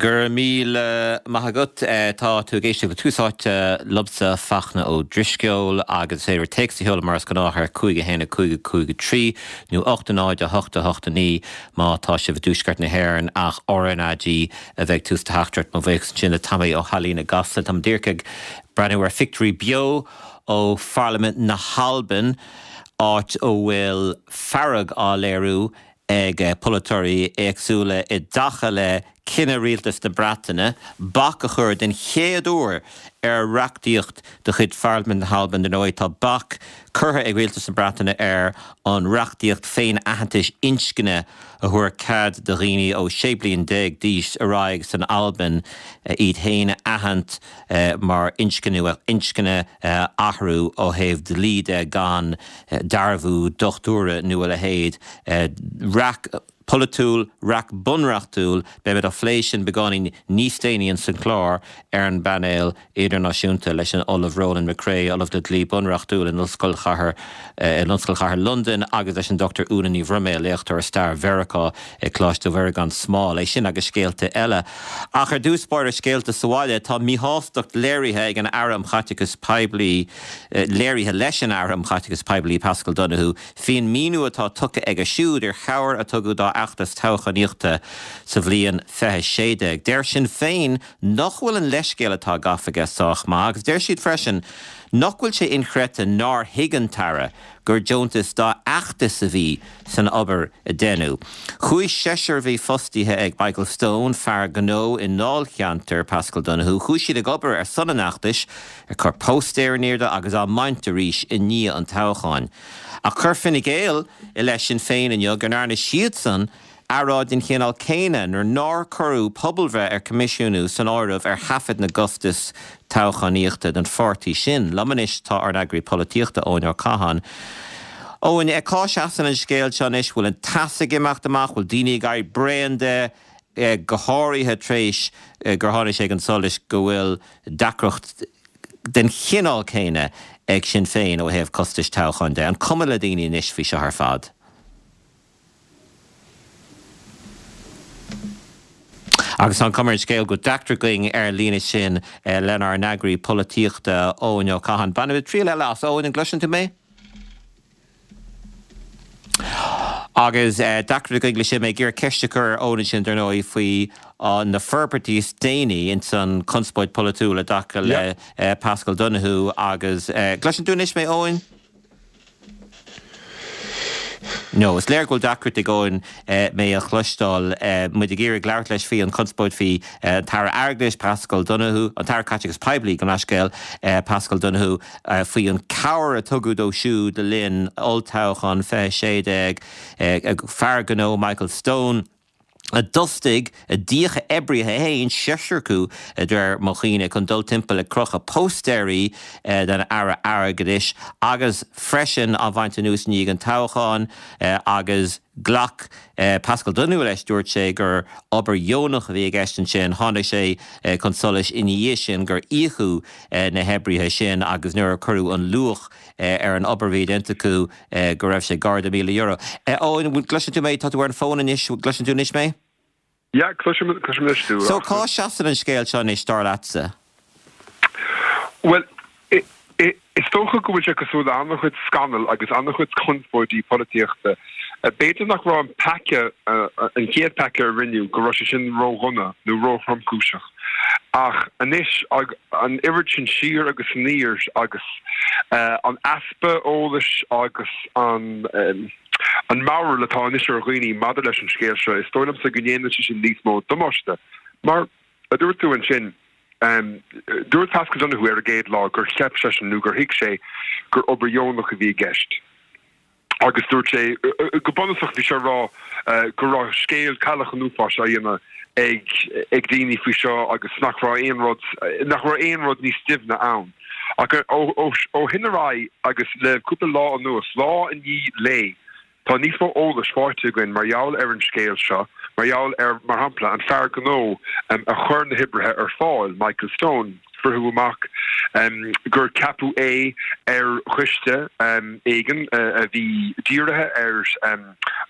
Go raibh míle maith agat. Tá tú ag éisteacht le Tús Áite liomsa, Fachtna Ó Drisceoil, agus is féidir téacs a sheoladh mar is gnách ar 5 1 5 5 3 nó 8 0 8 8 9 má tá sibh i dtuaisceart na hÉireann ach RnaG a bheidh tús do theachtaireacht. Mo bhuíochas ansin le Tommy Ó hAilín i gCasla. Táim díreach ag breathnú ar phictiúirí beo ó Pharlaimint na hAlban, áit a bhfuil fearg á léiriú ag polaiteoirí éagsúla i dtaca le cinneadh rialtas na Breataine bac a chur den chéad uair ar reachtaíocht de chuid Pharlaimint na hAlban. Dar ndóigh, tá bac curtha ag rialtas na Breataine ar an reachtaíocht féin-aitheantais inscne a thabharfadh cead do dhaoine ó 16 bliain d'aois ar aghaidh san Albain iad féin a aithint mar inscne nó inscne a athrú ó thaobh dlí de gan dearbhú dochtúra nó a leithéid. Raic pholaitiúil, raic bunreachtúil, beimid á phlé sin beagáinín níos déanaí ins an chlár ar an bpainéal idirnáisiúnta leis an Ollamh Ronan McCrea, Ollamh le Dlí Bunreachtúil in Ollscoil Chathair in Ollscoil Chathair Londain agus leis an Dr Úna Ní Bhroiméil, léachtóir i stair Mheiriceá ag Coláiste Mhuire gan Smál. É sin agus scéalta eile. Ach ar dtús báire scéalta sa bhaile, tá míshástacht léirithe ag an Aire um Chaiteachas Poiblí, léirithe leis an Aire um Chaiteachas Poiblí, Paschal Donohoe, faoin míniú atá tugtha aige siúd ar chabhair a tugadh dá fheachtas toghchánaíochta sa bhliain 2016. Deir Sinn Féin nach bhfuil an leithscéal atá gafa aige sách maith agus deir siad freisin nach bhfuil sé inchreidte nár thuig an tAire gur deontas dá fheachtas a bhí san obair a deineadh. Chuaigh seisear a bhí fostaithe ag Michael Stone, fear gnó i ndáilcheantar Paschal Donohoe, chuaigh siad ag obair ar son an fheachtais, ag cur póstaer in airde agus á mbaint arís i ndiaidh an toghcháin. Ach chuir Fine Gael i leith Sinn Féin inniu go ndearna siadsan earráid den chineál céanna nuair nár cuireadh pobalbhreith ar coimisiúnú san áireamh ar thaifead na gcostas toghchánaíochta don pháirtí sin. Liom anois tá ár n-eagraí polaitíochta, Eoin Ó Catháin. Eoin, cá seasann an scéal seo anois? Bhfuil an teas ag imeacht amach? Bhfuil daoine ag éirí bréan de, go háirithe tar éis gur tháinig sé chun solais go bhfuil deacracht den chineál céanna ag Sinn Féin ó thaobh costais toghcháin de. An cuma le daoine anois faoi seo ar fad? Agus tá an chuma ar an scéal go bhfuil deacracht againn ar an líne sin lenár n-eagraí polaitíochta, Eoin Ó Catháin. Bainfimid triail eile as. Eoin, an gcloiseann tú mé? Agus deacracht againn leis sin, mé ag iarraidh ceist a chur ar Eoin ansin, dar ndóigh, faoi na forbairtí is déanaí ins an chonspóid pholaitiúil i dtaca le Paschal Donohoe agus, gcloiseann tú anois mé, Eoin? No, is léir go bhfuil deacracht ag Eoin mé a chloisteáil. Muid ag iarraidh labhairt leis faoi an chonspóid faoi an tAire Airgeadais, Paschal Donohoe, an tAire Caiteachais Poiblí, gabh mo leithscéal, Paschal Donohoe, faoi an cabhair a tugadh dó siúd le linn olltoghchán 2016, fear gnó Michael Stone. a d'fhostaigh, a d'íoc a oibrithe féin, seisear acu de réir mo chuimhne, chun dul timpeall ag crochadh póstaeirí den Aire Airgeadais agus freisin á bhaint anuas i ndiaidh an toghcháin agus ghlac Paschal Donohoe leis, dúirt sé gur obair dheonach a bhí i gceist ansin. Tháinig sé chun solais ina dhiaidh sin gur íocadh na hoibrithe sin agus nuair a cuireadh an luach ar an obair a bhí déanta acu, go raibh sé gar do €1,000. Eoin, bhfuil, gcloiseann tú mé? Tá tú ar an bhfón anois, gcloiseann tú anois mé? Yeah, cloisim, cloisim anois tú. So, cá seasann an scéal seo anois, dar leatsa? Bhuel, is dócha go bhfuil sé cosúil le an-chuid scannal agus an-chuid conspóidí polaitíochta. B'fhéidir nach raibh an peaca, an chéad peaca a rinneadh, go raibh sé sin ródhona nó róthromchúiseach. Ach anois, an oiread sin siar agus aniar agus an easpa eolais agus an an mearbhall atá anois ar dhaoine maidir leis an scéal seo, is dóigh liomsa go ndéanann sé sin níos mó damáiste. Mar a dúirt tú ansin, dúirt Paschal Donohoe ar an gcéad lá gur cheap seisean nó gur thuig sé gur obair dheonach a bhí i gceist. agus dúirt sé, go bunúsach bhí sé ag rá go raibh scéal cailleach an uafáis á dhéanamh ag ag daoine faoi seo agus nach raibh aon rud, nach raibh aon rud níos doimhne ann. Ach ó shin ar aghaidh agus le cúpla lá anuas, lá i ndiaidh lae, tá níos mó eolais faighte againn mar gheall ar an scéal seo, mar gheall ar, mar shampla, an fear gnó a chuir na hoibrithe ar fáil, Michael Stone. Fritheadh amach gur ceapadh é ar choiste éigin a bhí dírithe ar,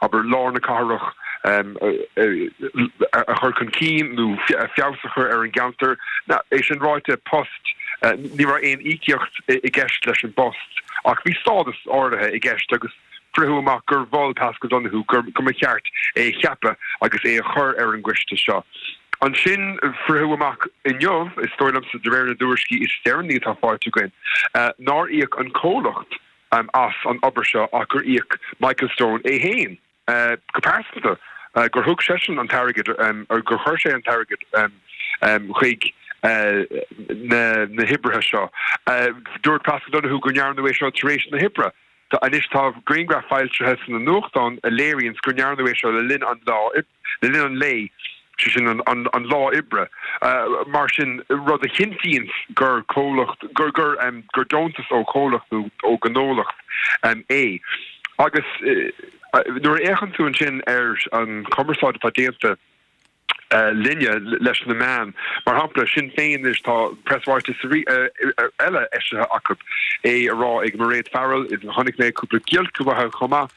abair, lár na cathrach. A chur chun cinn nó feabhas a chur ar an gceantar. É sin ráite, post, ní raibh aon íocaíocht i gceist leis an bpost ach bhí stádas áirithe i gceist agus fritheadh amach gur mhol Paschal Donohoe go mba cheart é a cheapadh agus é a chur ar an gcoiste seo. Ansin fritheadh amach inniu, is dóigh liomsa de réir na dtuairiscí is deireanaí atá faighte againn, nár íoc an comhlacht as an obair seo ach gur íoc Michael Stone é féin. Go pearsanta, gur thug seisean an t-airgead, gur chuir sé an t-airgead chuig na hoibrithe seo. Dúirt Paschal Donohoe go ndearnadh é seo tar éis na hoibre. Anois tá grianghraf foilsithe sna nuachtáin a léiríonns go ndearnadh é seo le linn an lá le linn an lae, sé sin an lá oibre. Mar sin, rud a chinntíonns gur comhlacht, gur, gur, gur deontas ó chomhlacht nó ó ghnólacht é. Agus nuair a fhéachann tú ansin ar an chumarsáid atá déanta linne, leis na meáin, mar shampla, Sinn Féin anois, tá preasráiteas eile eisithe acu, é á rá ag Mairéad Farrell, chonaic mé cúpla giolc uathu chomh maith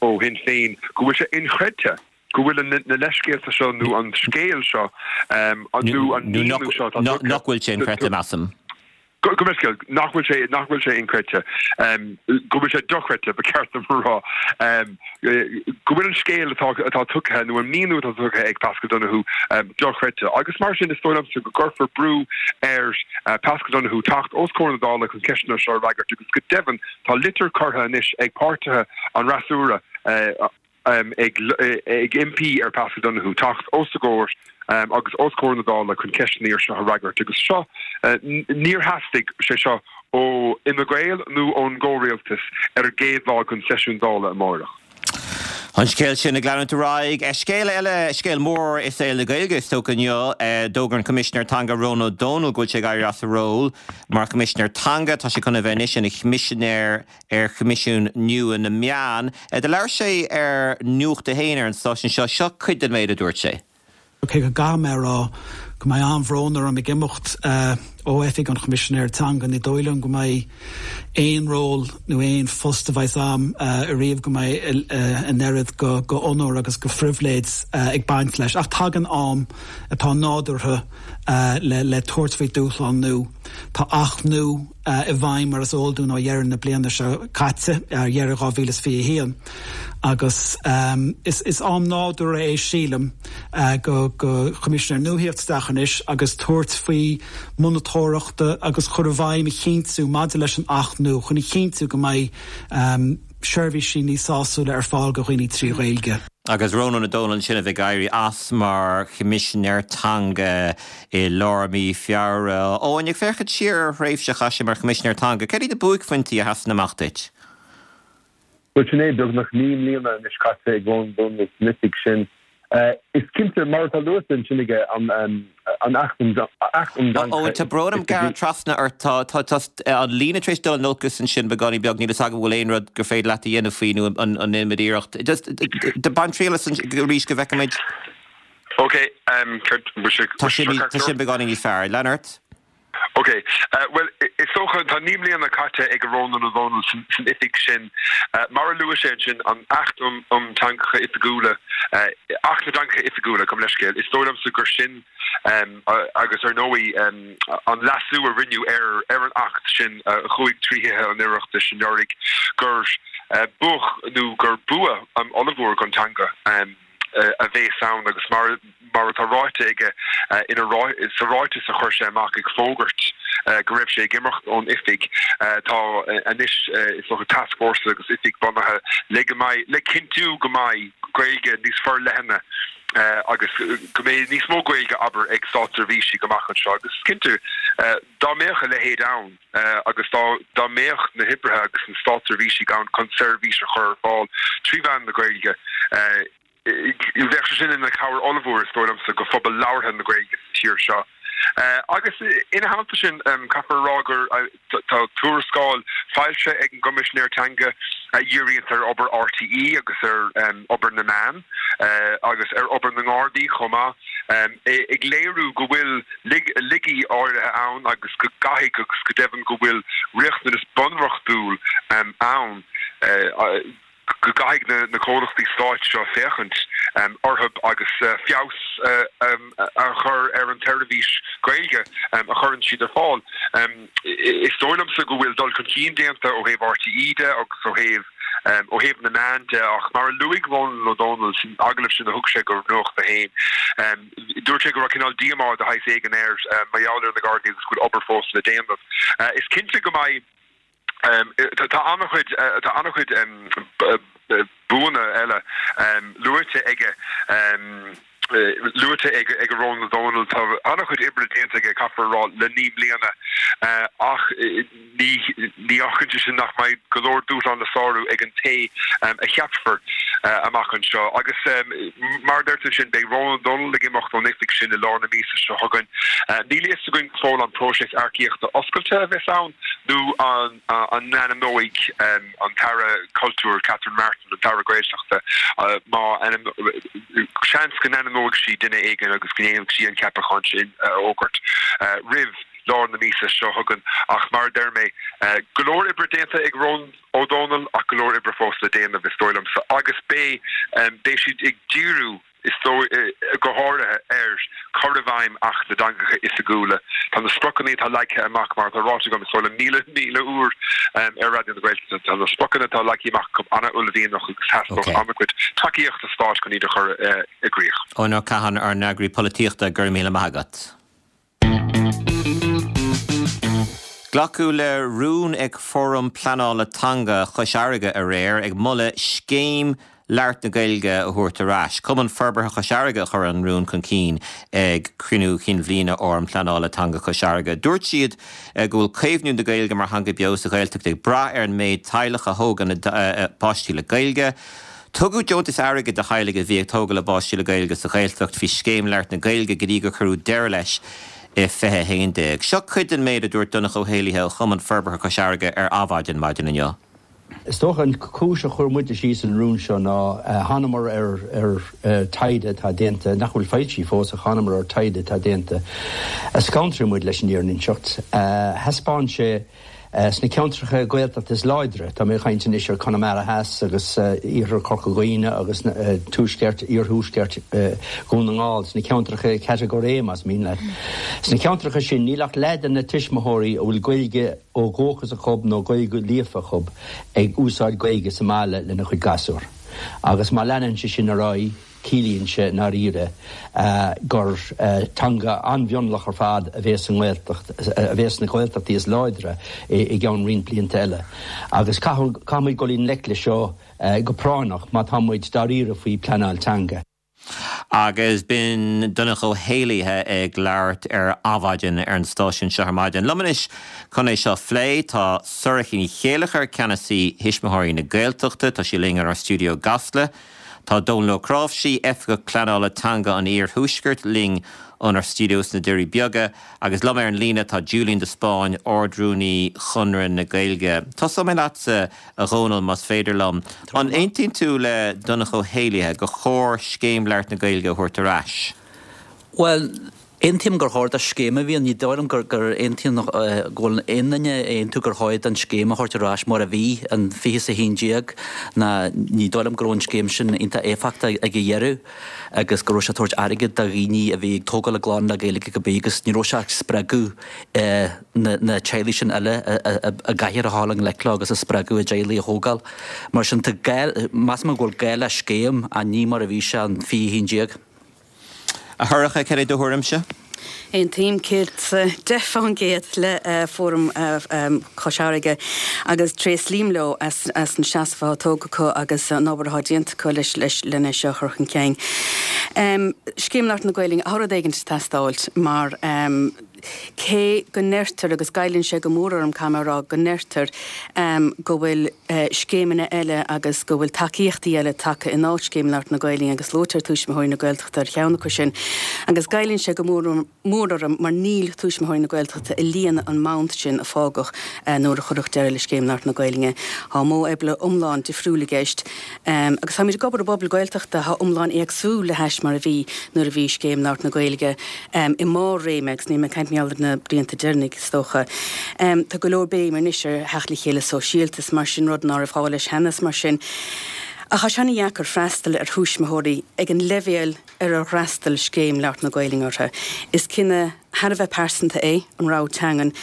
ó Shinn Féin, go bhfuil sé inchreidte go bhfuil na leithscéalta seo nó an scéal seo nó an míniú seo atá tugtha. Nach bhfuil sé inchreidte, measaim. Gabh mo leithscéal, nach bhfuil sé, nach bhfuil sé inchreidte, go bhfuil sé dochreidte, ba cheart dom a rá, go bhfuil an scéal atá, atá tugtha nó an míniú atá tugtha ag Paschal Donohoe dochreidte. Agus mar sin, is dóigh liomsa go gcuirfear brú ar Paschal Donohoe teacht os comhair na Dála chun ceisteanna seo a fhreagairt agus go deimhin tá litir curtha anois ag páirtithe an fhreasúra, ag impí ar Paschal Donohoe teacht os a gcomhair agus os comhair na Dála chun ceisteanna ar seo a fhreagairt agus seo, níor theastaigh sé seo ó Fhine Gael nó ón gcomhrialtas ar an gcéad lá den seisiún Dála amáireach. An scéal sin ag leanúint ar aghaidh. Scéal eile, scéal mór i saol na Gaeilge is dócha inniu, d'fhógair an Coimisinéir Teanga Rónán Ó Domhnaill go bhfuil sé ag éirí as a ról mar Choimisinéir Teanga. Tá sé chun a bheith anois ina Choimisinéir ar Choimisiún nua na Meán. Do labhair sé ar Nuacht a hAon ar an stáisiún seo. Seo cuid den méid a dúirt sé. Cé go gcaithfidh mé a rá go mbeidh an-bhrón orm ag imeacht ó Oifig an Choimisinéara Teanga, ní dóigh liom go mbeidh aon ról nó aon phost a bheas a'm ariamh go mbeidh an oiread go onóir agus go phribhléid ag baint leis. Ach tagann am atá nádúrtha le tabhairt faoi dúshlán nua. Tá Acht nua i bhfeidhm mar is eol dúinn ó dheireadh na bliana seo caite, ar dheireadh 2021, agus is am nádúrtha é sílim go go Choimisinéir nua theacht isteach anois agus tabhairt faoi monatóireacht agus chur i bhfeidhm a chinntiú maidir leis an Acht nua chun a chinntiú go mbeidh seirbhísí níos sásúla ar fáil go dhaoine 3 Ghaeilge. Agus Rónán Ó Domhnaill ansin a bheidh ag éirí as mar Choimisinéir Teanga i lár mí Feabhra. Eoin, ag féachaint siar ar an thréimhse a chaith sé mar Choimisinéir Teanga, céard iad na buaicphointí a sheasann amach duit? Bhuel, sin é, beagnach 9 mbliana anois caite ag Rónán Ó Domhnaill san oifig sin. Is cinnte, mar atá luaite ansin aige, an Acht um Theangacha Eoin, tá brón orm gearradh trasna ort. Tá an líne tar éis dul in olcas ansin beagáinín beag. Níl fhios agam an bhfuil aon rud gur féidir leat a dhéanamh faoi nó an ndéanfaimid iarracht. Just, bain triail as arís go bhfeicfimid. Ok, céard, bhfuil sé, Tá sin beagáinín níos fearr. Lean ort. Ok. Bhuel, is dócha, tá 9 mbliana caite ag Rónán Ó Domhnaill san oifig sin. Mar a luaigh sé ansin, an Acht um Theangacha Oifigiúla, Acht na dTeangacha Oifigiúla, gabh mo leithscéal, is dóigh liomsa gur sin, agus ar ndóigh an leasú a rinneadh ar ar an Acht sin a chuaigh trí Thithe an Oireachtais anuraidh, gur buach nó gur bua ollmhór don teanga. a bhéas ann agus mar mar atá ráite aige ina sa ráiteas a chuir sé amach ag fógairt go raibh sé ag imeacht ón oifig tá anois is dócha tascfhórsa agus oifig bunaithe le go mbeidh le cinntiú go mbeidh Gaeilge níos forleithne agus go mbeidh níos mó Gaeilge abair ag státseirbhísigh amach anseo agus is cinnte dá mbeadh a leithéid ann agus dá dá mbeadh na hoibrithe agus na státseirbhísigh ann chun seirbhís a chur ar fáil trí mheán na Gaeilge, bheadh sé sin ina chabhair ollmhór, is dóigh liomsa, go phobal labhartha na Gaeilge sa tír seo. Agus ina theannta sin, caithfear a rá gur tá tuarascáil foilsithe ag an gCoimisinéir Teanga a dhíríonns ar obair RTÉ agus ar obair na meán agus ar obair na nGardaí chomh maith, ag léiriú go bhfuil laigí áirithe ann agus go gcaithfidh agus go deimhin go bhfuil riachtanas bunreachtúil ann go gcaithfidh na comhlachtaí stáit seo féachaint. orthu agus feabhas a chur ar an tseirbhís Ghaeilge a chuireann siad ar fáil. Is dóigh liomsa go bhfuil dul chun cinn déanta ó thaobh RTÉ de agus ó thaobh ó thaobh na meán de ach mar a luaigh Rónán Ó Domhnaill san agallamh sin a thug sé go Nuacht a hAon, dúirt sé go raibh cineál díomá de shaghas éigin air mar gheall ar na Gardaí agus go bhfuil obair fós le déanamh. Is cinnte go mbeidh Tá an-chuid tá an-chuid buanna eile luaite aige luaite ag ag Rónán Ó Domhnaill. Tá an-chuid oibre déanta aige, caithfear a rá, le 9 mbliana ach ní ní fhágann sé sin nach mbeidh go leor dúshlán le sárú ag an té a cheapfar amach anseo. Agus mar a deir tú ansin, beidh Rónán Ó Domhnaill ag imeacht ón oifig sin i lár na míosa seo chugainn. Níl a fhios againn go fóill an próiseas earcaíochta oscailte a bheas ann nó an n-ainmneoidh an tAire Cultúir Catherine Martin, an tAire Gaeltachta, má seans go n-ainmneoidh sí duine éigin agus go ndéanfaidh sí an ceapachán sin a fhógairt roimh lár na míosa seo chugainn. Ach mar a deir mé, go leor oibre déanta ag Rónán Ó Domhnaill ach go leor oibre fós le déanamh, is dóigh liomsa, agus beidh beidh siad ag díriú, is dóigh, go háirithe ar chur i bhfeidhm Acht na dTeangacha Oifigiúla. Tá na spriocanna atá leagtha amach, mar atá ráite agam, is dóigh liom, 1,000, 1,000 uair ar Raidió na Gaeltachta, tá na spriocanna atá leagtha amach acu an-uaillmhianach agus theastódh an-chuid tacaíochta stáit chun iad a chur i gcrích. Eoin Ó Catháin, ár n-eagraí polaitíochta, go raibh míle maith agat. Glacadh le rún ag Fóram Pleanála Teanga Chois Fharraige aréir ag moladh Scéim Labhairt na Gaeilge a thabhairt ar ais. Cumann Forbartha Chois Fharraige a chuir an rún chun cinn ag cruinniú chinn bhliana Fhóram Pleanála Teanga Chois Fharraige. Dúirt siad go bhfuil caomhnú na Gaeilge mar theanga beo sa Ghaeltacht ag brath ar an méid teaghlach a thógann a bpáistí le Gaeilge. Tugadh deontais airgid do theaghlaigh a bhí ag tógáil a bpáistí le Gaeilge sa Ghaeltacht faoi Scéim Labhairt na Gaeilge go dtí gur cuireadh deireadh leis i 2011. Seo cuid den méid a dúirt Donncha Ó hÉallaithe ó Chumann Forbartha Cois Fharraige ar Adhmhaidin maidin inniu. Is dócha an chúis a chuir muide síos an rún seo ná thánamar ar ar taighde atá déanta, nach bhfuil foilsithe fós ach thánamar ar taighde atá déanta a scantraigh muid leis an fhírinne a inseacht. Thaispeáin sé Sna ceantracha Gaeltachta is láidre, tá mé ag caint anois ar Conamara Theas agus Iarthar Chorca Dhuibhne agus Tuaisceart, Iarthuaisceart Dhún na nGall, sna ceantracha Catagóir A más mian leat. Sna ceantracha sin níl ach leath de na tuismitheoirí a bhfuil Gaeilge ó dhúchas acu nó Gaeilge líofa acu ag úsáid Gaeilge sa mbaile lena chuid gasúr. Agus má leanann sé sin ar aghaidh, Ciallaíonn sé i ndáiríre gur teanga an-mhionlach ar fad a bhéas sa nGaeltacht, a bhéas sna Gaeltachtaí is láidre i gceann roinnt blianta eile. Agus caithfimid dul i ngleic leis seo go práinneach má tá muid dáiríre faoi pleanáil teanga. Agus b'in Donncha Ó hÉallaithe ag labhairt ar Adhmhaidin ar an stáisiún seo ar maidin. Liom anois chun é seo a phlé tá Sorcha Ní Chéilleachair, Ceannasaí Thuismitheoirí na Gaeltachta. Tá sí linn inár stiúideo i gCasla. Tá Dónal Ó Cnáimhsí, Oifigeach Pleanála Teanga an Iarthuaiscirt, linn ónár stiúideo sna Doirí Beaga agus liom ar an líne tá Julian de Spáinn, Ard-Rúnaí Chonradh na Gaeilge. Tosóidh mé leatsa, a Dhónaill, más féidir liom. An aontaíonn tú le Donncha Ó hÉallaithe gur chóir Scéim Labhairt na Gaeilge a thabhairt ar ais? Bhuel, Aontaím gur chóir do scéim a bhí ann. Ní dóigh liom gur aontaíonn, go bhfuil aon duine ag aontú gur chóir don scéim a thabhairt ar ais mar a bhí in 20 is 11 ná ní dóigh liom go raibh an scéim sin iontach éifeachtach ag a dheireadh agus go raibh sé ag tabhairt airgead do dhaoine a bhí ag tógáil a gclann le Gaeilge cibé agus ní raibh sé ag spreagadh na teaghlaigh sin eile a gcaithfear a dhul i ngleic leo agus a spreagadh a dteaghlaigh a thógáil. Mar sin tá gá, measaim go bhfuil gá le scéim ach ní mar a bhí sé in 20 11. A Shorcha, cad é do thuairimse? Aontaím 110% le Fóram Chois Fharraige agus tréaslaím leo as an seasamh atá tógtha acu agus an obair atá déanta acu leis lena seo a chur chun cinn. Scéim Labhairt na Gaelainne, tá rud éigin ag teastáilt mar cé go ndeirtear, agus goilleann sé go mór orm, caithfidh mé a rá, go ndeirtear go bhfuil scéimeanna eile agus go bhfuil tacaíochtaí eile tagtha in áit Scéim Labhairt na Gaelainne agus luaitear Tuismitheoirí na Gaeltachta ar cheann acu sin agus goilleann sé go mór mór orm mar níl Tuismitheoirí na Gaeltachta ag líonadh an mbound sin a fágadh nuair a cuireadh deireadh le Scéim Labhairt na Gaelainne. Tá modh oibre iomlán difriúil i gceist agus táimid ag obair i bpobal Gaeltachta atá iomlán éagsúil le hais mar a bhí nuair a bhí Scéim Labhairt na Gaeilge i mbarr réime, agus níl mé ag caint mar gheall ar na blianta deireanacha, is dócha. Tá go leor béim anois ar theacht le chéile sóisialta is mar sin, rud ná raibh gá leis cheana is mar sin. Ach tá sé ana-dheacair freastal ar thuismitheoirí ag an leibhéal ar ar fhreastail Scéim Labhairt na Gaelainne orthu. Is cinneadh thar a bheith pearsanta é an rogha teangan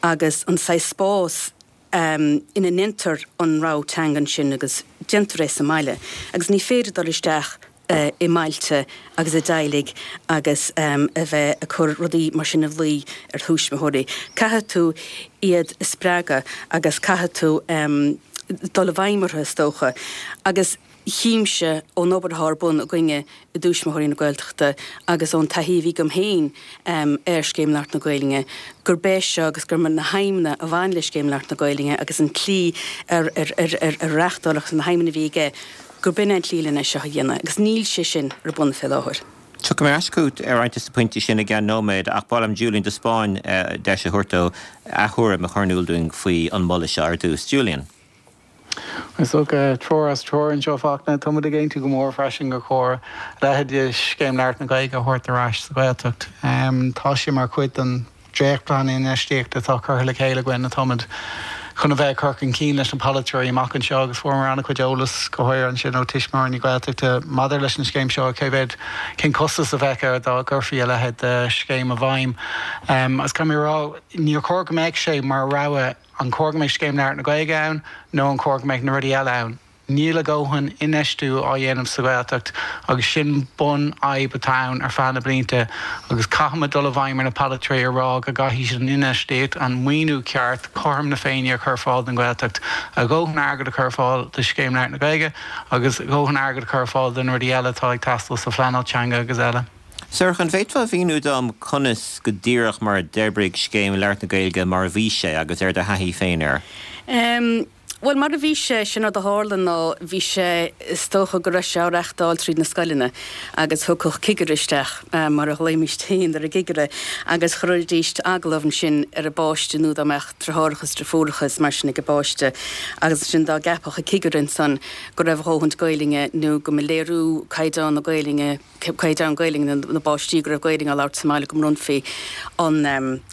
agus an saghas spás ina ndéantar an rogha teangan sin agus déantar é sa mbaile agus ní féidir dul isteach i mbailte agus i dteaghlaigh agus a bheith ag cur rudaí mar sin ina luí ar thuismitheoirí. Caithfidh tú iad a spreagadh agus caithfidh tú dul i bhfeidhm orthu is dócha. Agus chímse ón obair atá ar bun againne i dTuismitheoirí na Gaeltachta agus ón taithí a bhí agam féin ar Scéim Labhairt na Gaelainne gurb é seo agus gur na haidhmeanna a bhain le Scéim Labhairt na Gaelainne agus an tslí ar ar reáchtáladh agus na haidhmeanna a bhí aige gurb in é an tslí lena seo a dhéanamh agus níl sé sin ar bun fé láthair. Tiocfaidh mé ar ais chugat ar roinnt de na pointí sin i gceann nóiméad ach ba mhaith liom Julian de Spáinn deis a thabhairt dó a thuairim a chur in iúl dúinn faoi an moladh seo ar dtús. Julian. Is dócha, triúr as triúr anseo, Fachtna. Tá muid ag aontú go mór freisin gur chóir a leithéid de Scéim Labhairt na Gaeilge a thabhairt ar ais sa Ghaeltacht. Tá sé mar chuid den dréachtphlean infheistíochta atá curtha le chéile againn atáimid chun a bheith ag cur chun cinn leis na polaiteoirí amach anseo agus fuaireamar an-chuid eolas, go háirithe ansin ó Tuismitheoirí na Gaeltachta maidir leis an scéim seo, cé mhéad, cén costas a bheadh air dá gcuirfí a leithéid de scéim i bhfeidhm. Agus caithfidh mé a rá, níor chóir go mbeadh sé mar rogha, an chóir go mbeadh Scéim Labhairt na Gaeilge ann nó an chóir go mbeadh na rudaí eile ann? Níl a dhóthain infheistiú á dhéanamh sa Ghaeltacht agus sin bun fhadhb atá ann ar feadh na blianta agus caithfimid dul i bhfeidhm ar na polaiteoirí a rá go gcaithfidh siad an infheistíocht, an maoiniú ceart, cothrom na Féinne a chur ar fáil don Ghaeltacht, a dhóthain airgid a chur ar fáil do Scéim Labhairt na Gaeilge agus a dhóthain airgid a chur ar fáil do na rudaí eile atá ag teastáil sa phleanáil teanga agus eile. Sorcha, an bhféadfá a mhíniú dom conas go díreach mar a d'oibrigh Scéim Labhairt na Gaeilge mar a bhí sé agus ar do thaithí féin air? Bhuel, mar a bhí sé, sin rud a tharla ná bhí sé, is dócha go raibh sé á reachtáil tríd na scoileanna agus thiocfadh cigire isteach, mar a ghlaoimíst féin ar an gcigire, agus chuiridíst agallamh ansin ar an bpáiste nó dá mbeadh driotháireacha is driofúracha is mar sin ag an bpáiste agus ansin dá gceapfadh an cigire ansan go raibh a dhóthaint Gaelainne nó go mba léiriú caighdeán na Gaelainne caighdeán Gaelainne na bpáistí go raibh Gaelainn á labhairt sa mbaile go mbronnfaí an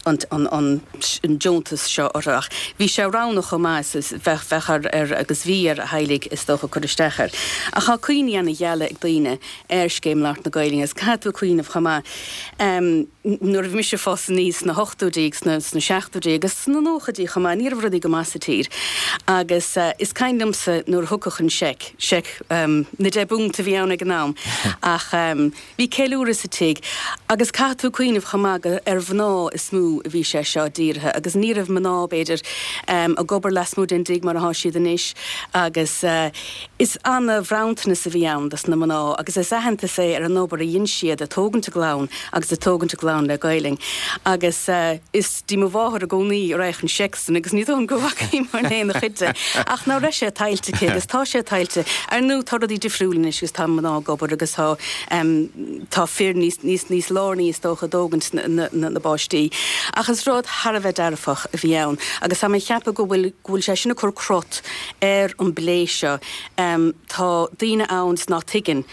an deontas seo orthu. Ach bhí sé roghnach chomh maith is bheadh bheadh ar ar agus bhí ar theaghlaigh is dócha cur isteach air. Ach tá cuimhní ana gheala ag daoine ar Scéim Labhairt na Gaelainne agus caithfidh tú cuimhneamh chomh maith nuair a bhí mise ag fás aníos sna hochtóidí agus sna sna seachtóidí agus sna nóchaidí chomh maith ní raibh rudaí go maith sa tír agus is cuimhin liomsa nuair a thiocfadh an seic seic na deich bpunt a bhí ann ag an am ach bhí ceiliúradh sa tigh agus caithfidh tú cuimhneamh chomh maith gur ar mhná is mó a bhí sé seo dírithe agus ní raibh mná b'fhéidir ag obair lasmuigh den dtigh mar atá siad anois agus is ana-bhronntanas a bhí ann dos na mná agus is aitheantas é ar an obair a dhein siad ag tógaint a gclann agus ag tógaint a gclann le Gaelainn agus is dtí mo mháthair i gcónaí a raghadh an seic san agus ní dóigh liom go bhfacaí mé aon chuid de ach ná raibh sé tuillte aici agus tá sé tuillte. Ar ndóigh tá rudaí difriúil anois agus tá mná ag obair agus tá tá fir níos níos níos lárnaí is dócha i dtógaint na na na bpáistí. Ach is rud thar a bheith dearfach a bhí ann agus tá mé ag ceapadh go bhfuil go bhfuil sé sin ag cur crot ar an bplé seo. Tá daoine ann 's ná tuigeann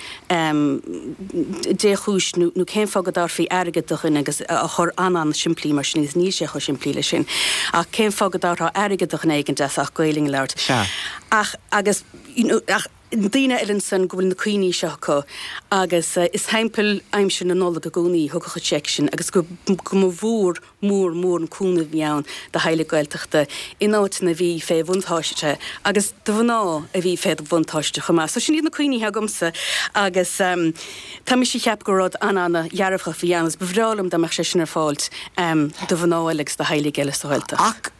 dé chúis nó nó cén fáth go dtabharfaí airgead do dhuine agus á chur an-an-simplí mar sin agus níl sé chomh simplí leis sin ach cén fáth go dtabharfá airgead do dhuine éigin as ucht Gaelainn a labhairt. Sea. Ach agus you know ach daoine eile ansan go bhfuil na cuimhní seo acu agus is timpeall aimsir na Nollag i gcónaí a thiocfadh an seic sin agus go go mba mhór mór mór an cúnamh a bhí ann do theaghlaigh Gaeltachta in áiteanna a bhí fé bhuntáiste agus do mhná a bhí fé bhuntáiste chomh maith. So sin iad na cuimhní atá agamsa agus tá mise ag ceapadh gur rud an-an-dhearfach a bhí ann agus ba bhreá liom dá mbeadh sé sin ar fáilt do mhná eile agus do theaghlaigh eile sa Ghaeltacht. Ach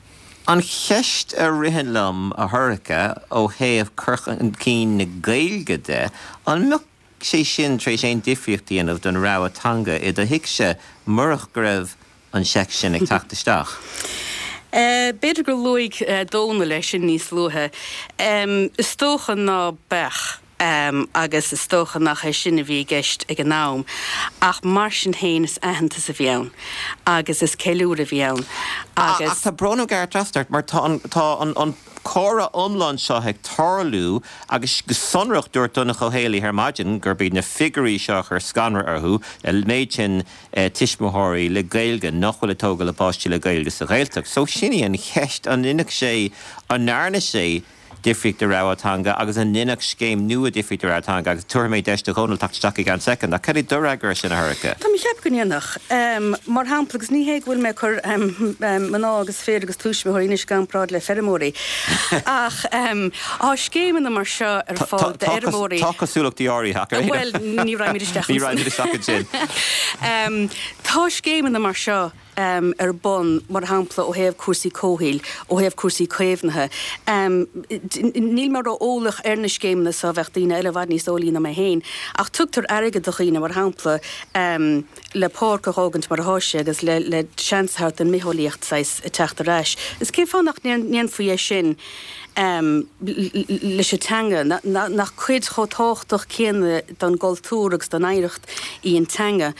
an cheist a ritheann liom, a Shorcha, ó thaobh cur chun cinn na Gaeilge de, an mbeadh sé sin tar éis aon difríocht a dhéanamh don rogha teanga i do thighse murach go raibh an seic sin ag teacht isteach? B'fhéidir gur luaigh Dónall é sin níos luaithe. Is dócha ná beadh, agus is dócha nach é sin a bhí i gceist ag an am, ach mar sin féin is aitheantas a bhí ann agus is ceiliúradh a bhí ann agus. Ach tá brón orm gearradh trasna ort mar tá an, tá an, an comhrá iomlán seo ag tarlú agus go sonrach dúirt Donncha Ó Héalaí ar maidin gurb iad na figiúirí seo a chuir scanradh orthu, an méid sin tuismitheoirí le Gaeilge nach bhfuil ag tógáil a bpáistí le Gaeilge sa Ghaeltacht. So sin í an cheist, an ndéanfadh sé, an ndearna sé? difríocht do rogha teanga agus an ndéanfadh scéim nua difríocht do rogha teanga agus tabharfaidh mé deis do Dhónal teacht isteach i gceann soicind ach cad é do fhreagra air sin a Shorcha? Tá mé ag ceapadh go ndéanfadh. Mar shampla, agus ní hé go bhfuil mé ag cur mná agus fir agus tuismitheoirí anois i gcomparáid le feirmeoirí ach tá scéimeanna mar seo ar fáil d'fheirmeoirí. Tá cosúlachtaí áirithe ach ar aon Bhuel, ní raghaimid isteach ansin. Ní raghaimid isteach ansin. Tá scéimeanna mar seo ar bun, mar shampla, ó thaobh cúrsaí comhshaoil, ó thaobh cúrsaí caomhnaithe. Níl mé ró-eolach ar na scéimeanna so, bheadh daoine eile i bhfad níos eolaí ná mé féin, ach tugtar airgead do dhaoine, mar shampla, le páirc a dh'fhágaint mar athá sé agus le le seans a thabhairt don mbitheolaíocht saghas teacht ar ais. Is cén fáth nach ndéanfaí é sin leis an teanga, nach cuid chomh tábhachtach céanna don gcultúr agus don oidhreacht í an teanga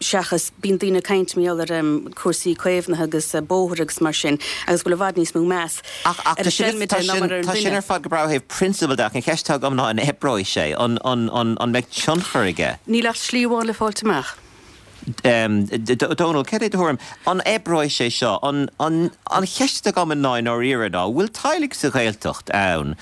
seachas, bíonn daoine ag caint mar gheall ar cúrsaí caomhnaithe agus bóithre agus mar sin agus go bhfuil i bhfad níos mó meas ar an seilmide ná mar ar an duine. Tá sin ar fad go breá ó thaobh prionsabail de ach an cheist atá agam ná an oibreoidh sé? An mbeidh tionchar aige? Níl ach slí amháin le fáilt amach. Dónal, cad é do thuairim? An oibreoidh sé seo? An cheist atá agam ná i ndáiríre ná, bhfuil teaghlaigh sa Ghaeltacht ann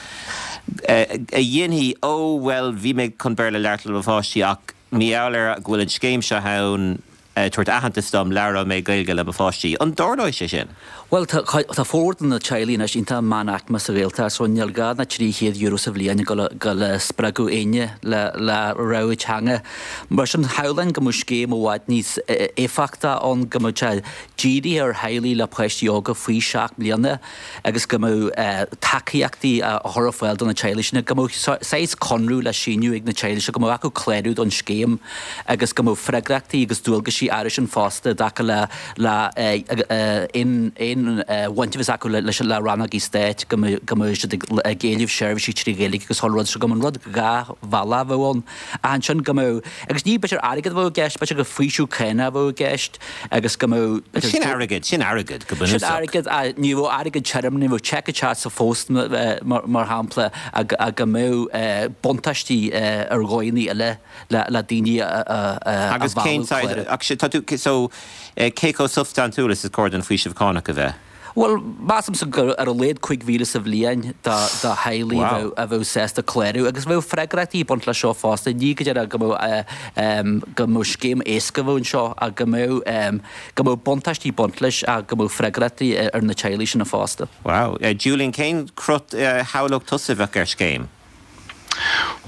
a dhéanfaidh, ó bhuel bhí mé chun Béarla a labhairt le mo pháistí ach mar gheall ar go bhfuil an scéim seo ann ag tabhairt aitheantas dom, labhróidh mé Gaeilge le mo pháistí. An dtarlóidh sé sin? Bhuel, tá tá formhór de na teaghlaigh anois iontach meánaicme sa Ghaeltacht so níl gá ná €300 sa bhliain ag dul ag spreagadh éinne le le rogha teanga. Mar sin, shamhlóinn go mbeadh scéim i bhfad níos éifeachtaí ann, go mbeadh sé dírithe ar theaghlaigh le páistí óga faoi 7 mbliana agus go mbeadh tacaíochtaí á chur ar fáil do na teaghlaigh sin, go mbeadh saghas conradh le síniú ag na teaghlaigh seo, go mbeadh acu clárú don scéim agus go mbeadh freagrachtaí agus dualgaisí air sin fosta i dtaca le le aon aon bhaint a bheas acu leis le rannógaí stáit, go mbeadh go mbeadh siad ag éileamh seirbhísí trí Ghaeilge agus chuile rud so go mbeadh an rud dhá bhealach a bheadh ann. Ach ansin go mbeadh, agus ní b'fhéidir airgead a bheadh i gceist, b'fhéidir gur faoiseamh cánach a bheadh i gceist agus go mbeadh. Sin airgead, sin airgead go bunúsach. Sin airgead, ní bheadh airgead tirim, ní bheadh seic ag teacht sa phost mar shampla ach go mbeadh buntáistí ar dhóigheanna eile le daoine a mhealladh. Agus cén saghas, ach tá tú, so cé chomh substaintiúil is is cóir don faoiseamh cánach a bheith? Bhuel, measaimse gur ar a laghad 5,000 sa bhliain do theaghlaigh a bheadh sásta clárú agus bheadh freagrachtaí ag baint leis seo fosta. Ní go díreach go mbeadh go mbeadh scéim éasca a bheadh anseo ach go mbeadh go mbeadh buntáistí ag baint leis ach go mbeadh freagrachtaí ar na teaghlaigh sin fosta. Wow. Julian, cén cruth a shamhlódh tusa a bheadh ar scéim?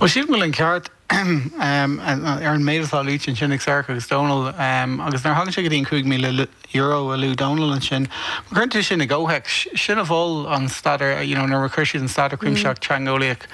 Bhuel, sílim go bhfuil an ceart ar an méid atá luaite ansin ag Sorcha agus Dónal, agus nuair a thagann sé go dtí an €5,000 a luaigh Dónal ansin, má chuireann tú sin i gcomhthéacs, sin a mhol an staidéar, you know, nuair a chuir siad an staidéar cuimsitheach teangeolaíoch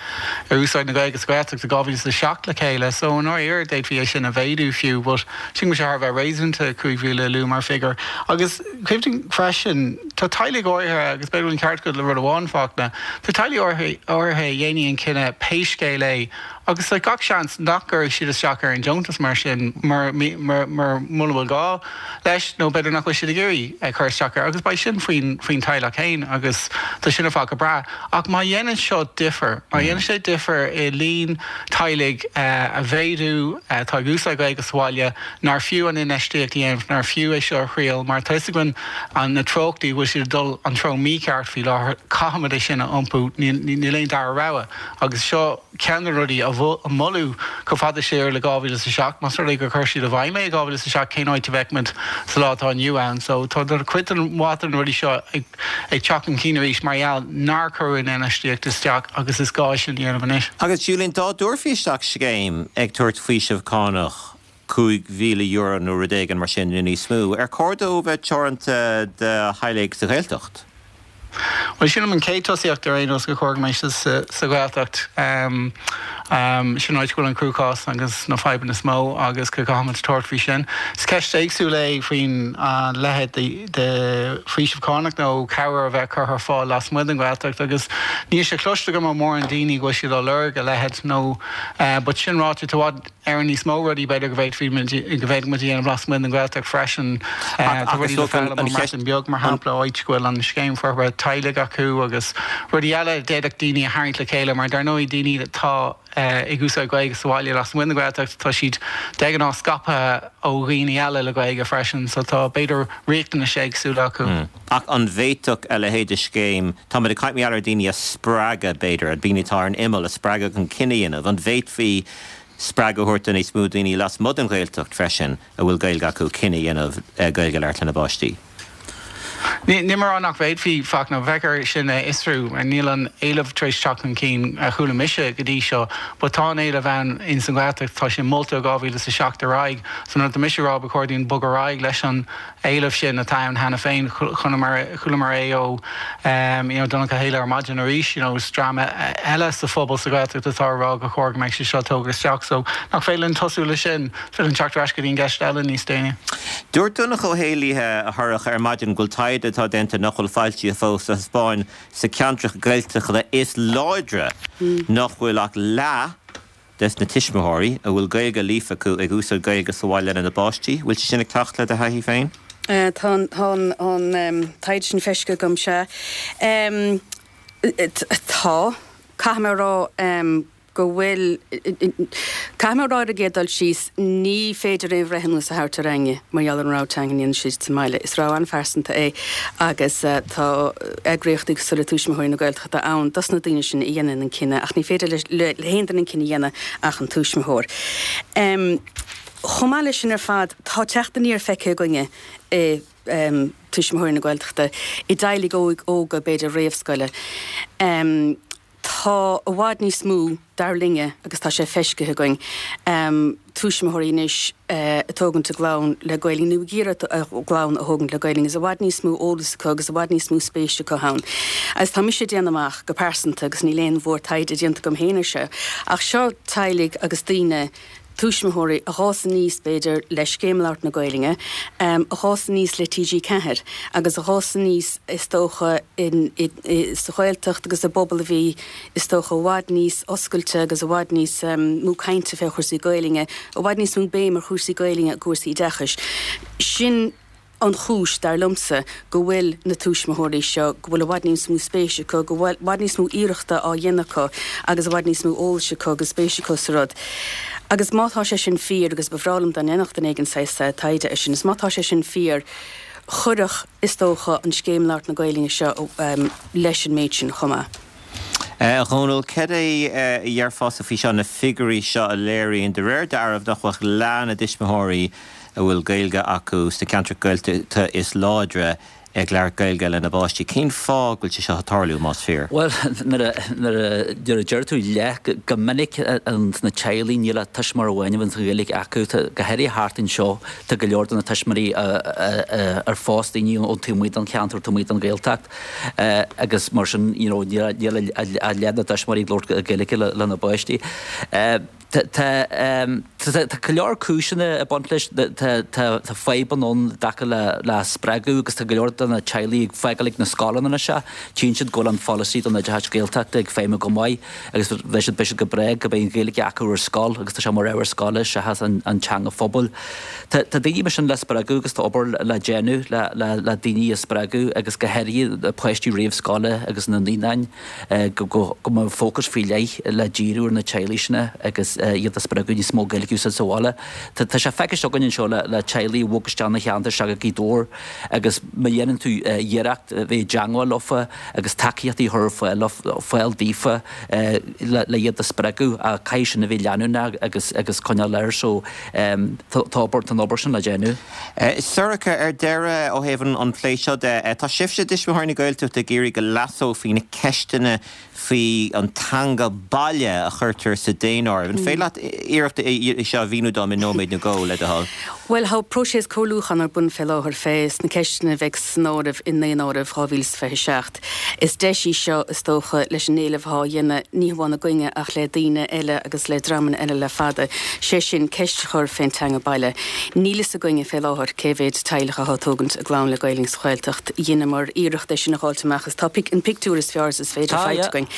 ar úsáid na Gaeilge sa Ghaeltacht i 2007 le chéile. So, i ndáiríre, d'fhéadfaí é sin a mhéadú fiú, but sílim go bhfuil sé thar a bheith réasúnta 5,000 a lua mar figiúr. Agus cuimhnigh freisin, tá teaghlaigh áirithe, agus b'fhéidir go bhfuil an ceart agat le rud amháin, Fachtna, tá teaghlaigh áirithe a dhéanfaidh an cinneadh pé scéal é, Agus tá gach seans nach gcuirfidh siad isteach ar an deontas mar sin mura bhfuil gá leis nó b'fhéidir nach bhfuil siad ag iarraidh cur isteach air agus beidh sin faoin teaghlach féin agus tá sin ar fad go breá. Ach má dhéanann seo difear, má dhéanann sé difear i líon teaghlaigh a mhéadú atá ag úsáid Gaeilge sa bhaile, nár fiú an infheistíocht a dhéanamh, nár fiú é seo a thriail mar tá 'fhios againn na treochtaí, go bhfuil siad ag dul an treo mícheart faoi láthair, caithfimid é sin a iompú, níl aon dara rogha agus seo. Ceann de na rudaí a moladh chomh fada siar le 2007, más rud é gur chuir siad i bhfeidhm é i 2007, cén áit a bheadh muid sa lá atá inniu ann? So tá cuid den mhaith de na rudaí seo ag teacht chun cinn arís mar gheall nár cuireadh an infheistíocht isteach agus is gá é sin a dhéanamh anois. Agus Julian, dá dtabharfaí isteach scéim ag tabhairt faoiseamh cánach €5,000 nó rud éigin mar sin nó níos mó, ar chóir dó bheith teoranta do theaghlaigh sa Ghaeltacht? Bhuel, sílim an chéad tosaíocht ar aon nós gur chóir go mbeidh sé sa Ghaeltacht. Sin an áit go bhfuil an cruachás agus na fadhbanna is mó agus go gcaithfimid tabhairt faoi sin. Is ceist éagsúil é faoin leithéid de faoiseamh cánach nó cabhair a bheith curtha ar fáil lasmuigh den Ghaeltacht agus níl sé cloiste agam ó mórán daoine go bhfuil siad á lorg a leithéid nó but sin ráite tá i bhfad Éireann níos mó rudaí b'fhéidir go bhféadfaí go bhféadfadh muid a dhéanamh lasmuigh den Ghaeltacht freisin. Tá rudaí le foghlaim ón mBreatain Bheag, mar shampla, áit go bhfuil an scéim forbartha teaghlaigh acu. acu agus rudaí eile a d'fhéadfadh daoine a tharraingt le chéile mar dar ndóigh daoine atá ag úsáid Gaeilge sa bhaile lasmuigh den Ghaeltacht tá siad de ghnáth scaipthe ó dhaoine eile le Gaeilge freisin so tá b'fhéidir riachtanais éagsúla acu. Ach an bhféadfadh a leithéid de scéim, táimid ag caint mar gheall ar daoine a spreagadh b'fhéidir, daoine atá ar an imeall a spreagadh chun cinneadh a dhéanamh, an bhféadfaí spreagadh a thabhairt do níos mó daoine lasmuigh den Ghaeltacht freisin a bhfuil Gaeilge acu cinneadh a dhéanamh Gaeilge a labhairt lena bpáistí? Níl mé ag rá nach bhféadfaí, Fachtna, bheadh air sin a fhiosrú. Níl an éileamh tar éis teacht chun cinn a chuala mise go dtí seo, but tá an éileamh ann ins an Ghaeltacht, tá sé molta ó 2007 ar aghaidh. So nuair atá mise ag rá ba chóir dúinn bogadh ar aghaidh leis an éileamh sin atá ann cheana féin, chualamar é ó you know Donncha Ó Héalaí ar maidin arís, you know is dream eile sa phobal sa Ghaeltacht atá ag rá gur chóir go mbeadh sé seo tógtha isteach. So nach féidir linn tosú le sin? Is féidir linn teacht ar ais go dtí an gceist eile níos déanaí. Dúirt Donncha Ó Héalaí, a Shorcha, ar maidin go bhfuil taighde atá déanta nach bhfuil foilsithe fós a thaispeáin sna ceantracha Gaeltachta is láidre nach bhfuil ach leath des na tuismitheoirí a bhfuil Gaeilge líofa acu ag úsáid Gaeilge sa bhaile lena bpáistí. Bhfuil sé sin ag teacht le do thaithí féin? Tá an taighde sin feiscithe agam, sea. Tá. Caithfidh mé a rá go bhfuil, caithfidh mé a rá ar an gcéad dul síos, ní féidir aon bhreithiúnas a thabhairt ar éinne mar gheall ar an rogha teanga a ndéanann siad sa mbaile. Is rogha an-phearsanta é agus tá eagraíochtaí cosúil le Tuismitheoirí na Gaeltachta ann dos na daoine sin a dhéanann an cinneadh ach ní féidir le haon duine an cinneadh a dhéanamh ach an tuismitheoir. Chomh maith leis sin ar fad, tá teacht aniar feicthe againne i Tuismitheoirí na Gaeltachta i dteaghlaigh óga, b'fhéidir réamhscoile. Tá i bhfad níos mó, dar linne, agus tá sé feiscithe againn, tuismitheoirí anois ag tógaint a gclann le Gaelainn nó ag iarraidh a gclann a thógaint le Gaelainn agus i bhfad níos mó eolas acu agus i bhfad níos mó spéise acu ann. Agus tá mise ag déanamh amach go pearsanta, agus níl aon mhór-taighde déanta agam féin ar seo, ach seo teaghlaigh agus daoine, tuismitheoirí a dh'fhás aníos, b'fhéidir, le Scéim Labhairt na Gaelainne, a dh'fhás aníos le TG4 agus a dh'fhás aníos, is dócha, sa Ghaeltacht agus i bpobal a bhí, is dócha, i bhfad níos oscailte agus i bhfad níos mó cainte fé chúrsaí Gaelainne, i bhfad níos mó béim ar chúrsaí Gaelainne i gcúrsaí oideachais. Sin. an chúis, dar liomsa, go bhfuil na tuismitheoirí seo, go bhfuil i bhfad níos mó spéise acu, go bhfuil i bhfad níos mó iarrachta á dhéanamh acu agus i bhfad níos mó eolais acu agus spéis acu sa rud. Agus má tá sé sin fíor, agus ba bhreá liom dá ndéanfadh duine éigin saghas taighde air sin, is má tá sé sin fíor, chuirfeadh, is dócha, an Scéim Labhairt na Gaelainne seo leis an méid sin chomh maith. A Dhónaill, cad é a dhéarfása faoi seo, na figiúirí seo a léiríonn, de réir dealraimh, nach bhfuil ach leath na dtuismitheoirí a bhfuil Gaeilge acu sna ceantracha Gaeltachta is láidre ag labhairt Gaeilge lena bpáistí. Cén fáth go bhfuil sé seo ag tarlú, más fíor? Bhuel, nuair a, nuair a, nuair a deir tú leath, go minic sna teaghlaigh níl ach tuismitheoir amháin a bhíonn an Ghaeilge acu. Tá, go háirithe thart anseo, tá go leor de na tuismitheoirí ar fós daoine ón taobh amuigh den cheantar, taobh amuigh den Ghaeltacht agus mar sin, you know, níl ach leath na dtuismitheoirí ag labhairt Gaeilge lena bpáistí. Tá go leor cúiseanna ag baint leis. Tá fadhbanna ann i dtaca le spreagadh agus tá go leor de na teaghlaigh ag fágáil ag na scoileanna anois. Tchíonn siad go bhfuil an pholasaí don oideachas Gaeltachta ag feidhmiú go maith agus beidh siad beidh siad go breá go mbeidh an Ghaeilge acu ar scoil agus tá sé mar ábhar scoile seachas an teanga phobail. Tá daoine mar sin le spreagadh agus tá obair le déanamh le daoine a spreagadh agus go háirithe páistí réamhscoile agus na naíonáin. go mbeadh fócas faoi leith le díriú ar na teaghlaigh sin agus iad a spreagadh níos mó Gaeilge a úsáid sa bhaile. Tá sé feicthe againn anseo le teaghlaigh a bhog isteach 'na cheantar seo go Gaoth Dobhair agus má dhéanann tú iarracht bheith i dteangmháil leofa agus tacaíochtaí a chur ar fáil daofa le iad a spreagadh ach caithfidh sin a bheith leanúnach agus agus coinneáil air so tá obair tá an obair sin le déanamh. Sorcha, ar deireadh, ó thaobh an phlé seo de, tá sibhse, Tuismitheoirí na Gaeltachta, ag iarraidh go leasófaí na ceisteanna faoi an teanga baile a chuirtear sa daonáireamh. An féidir leat iarracht é seo a mhíniú dom i nóiméad nó dhó, le do thoil? Bhuel, tá próiseas comhairliúcháin ar bun fé láthair fé sna ceisteanna a bheidh san áireamh i nDaonáireamh 2027. Is deis í seo, is dócha, leis an éileamh atá á dhéanamh, ní hamháin againne ach le daoine eile agus le dreamanna eile le fada, sé sin, ceist a chur fén teanga baile. Níl fhios againne fé láthair cé mhéid teaghlach atá ag tógaint a gclann le Gaelainn sa Ghaeltacht. Dheineamar iarracht é sin a dh'fháilt amach is tá an pictiúr is fearr is is féidir faighte againn.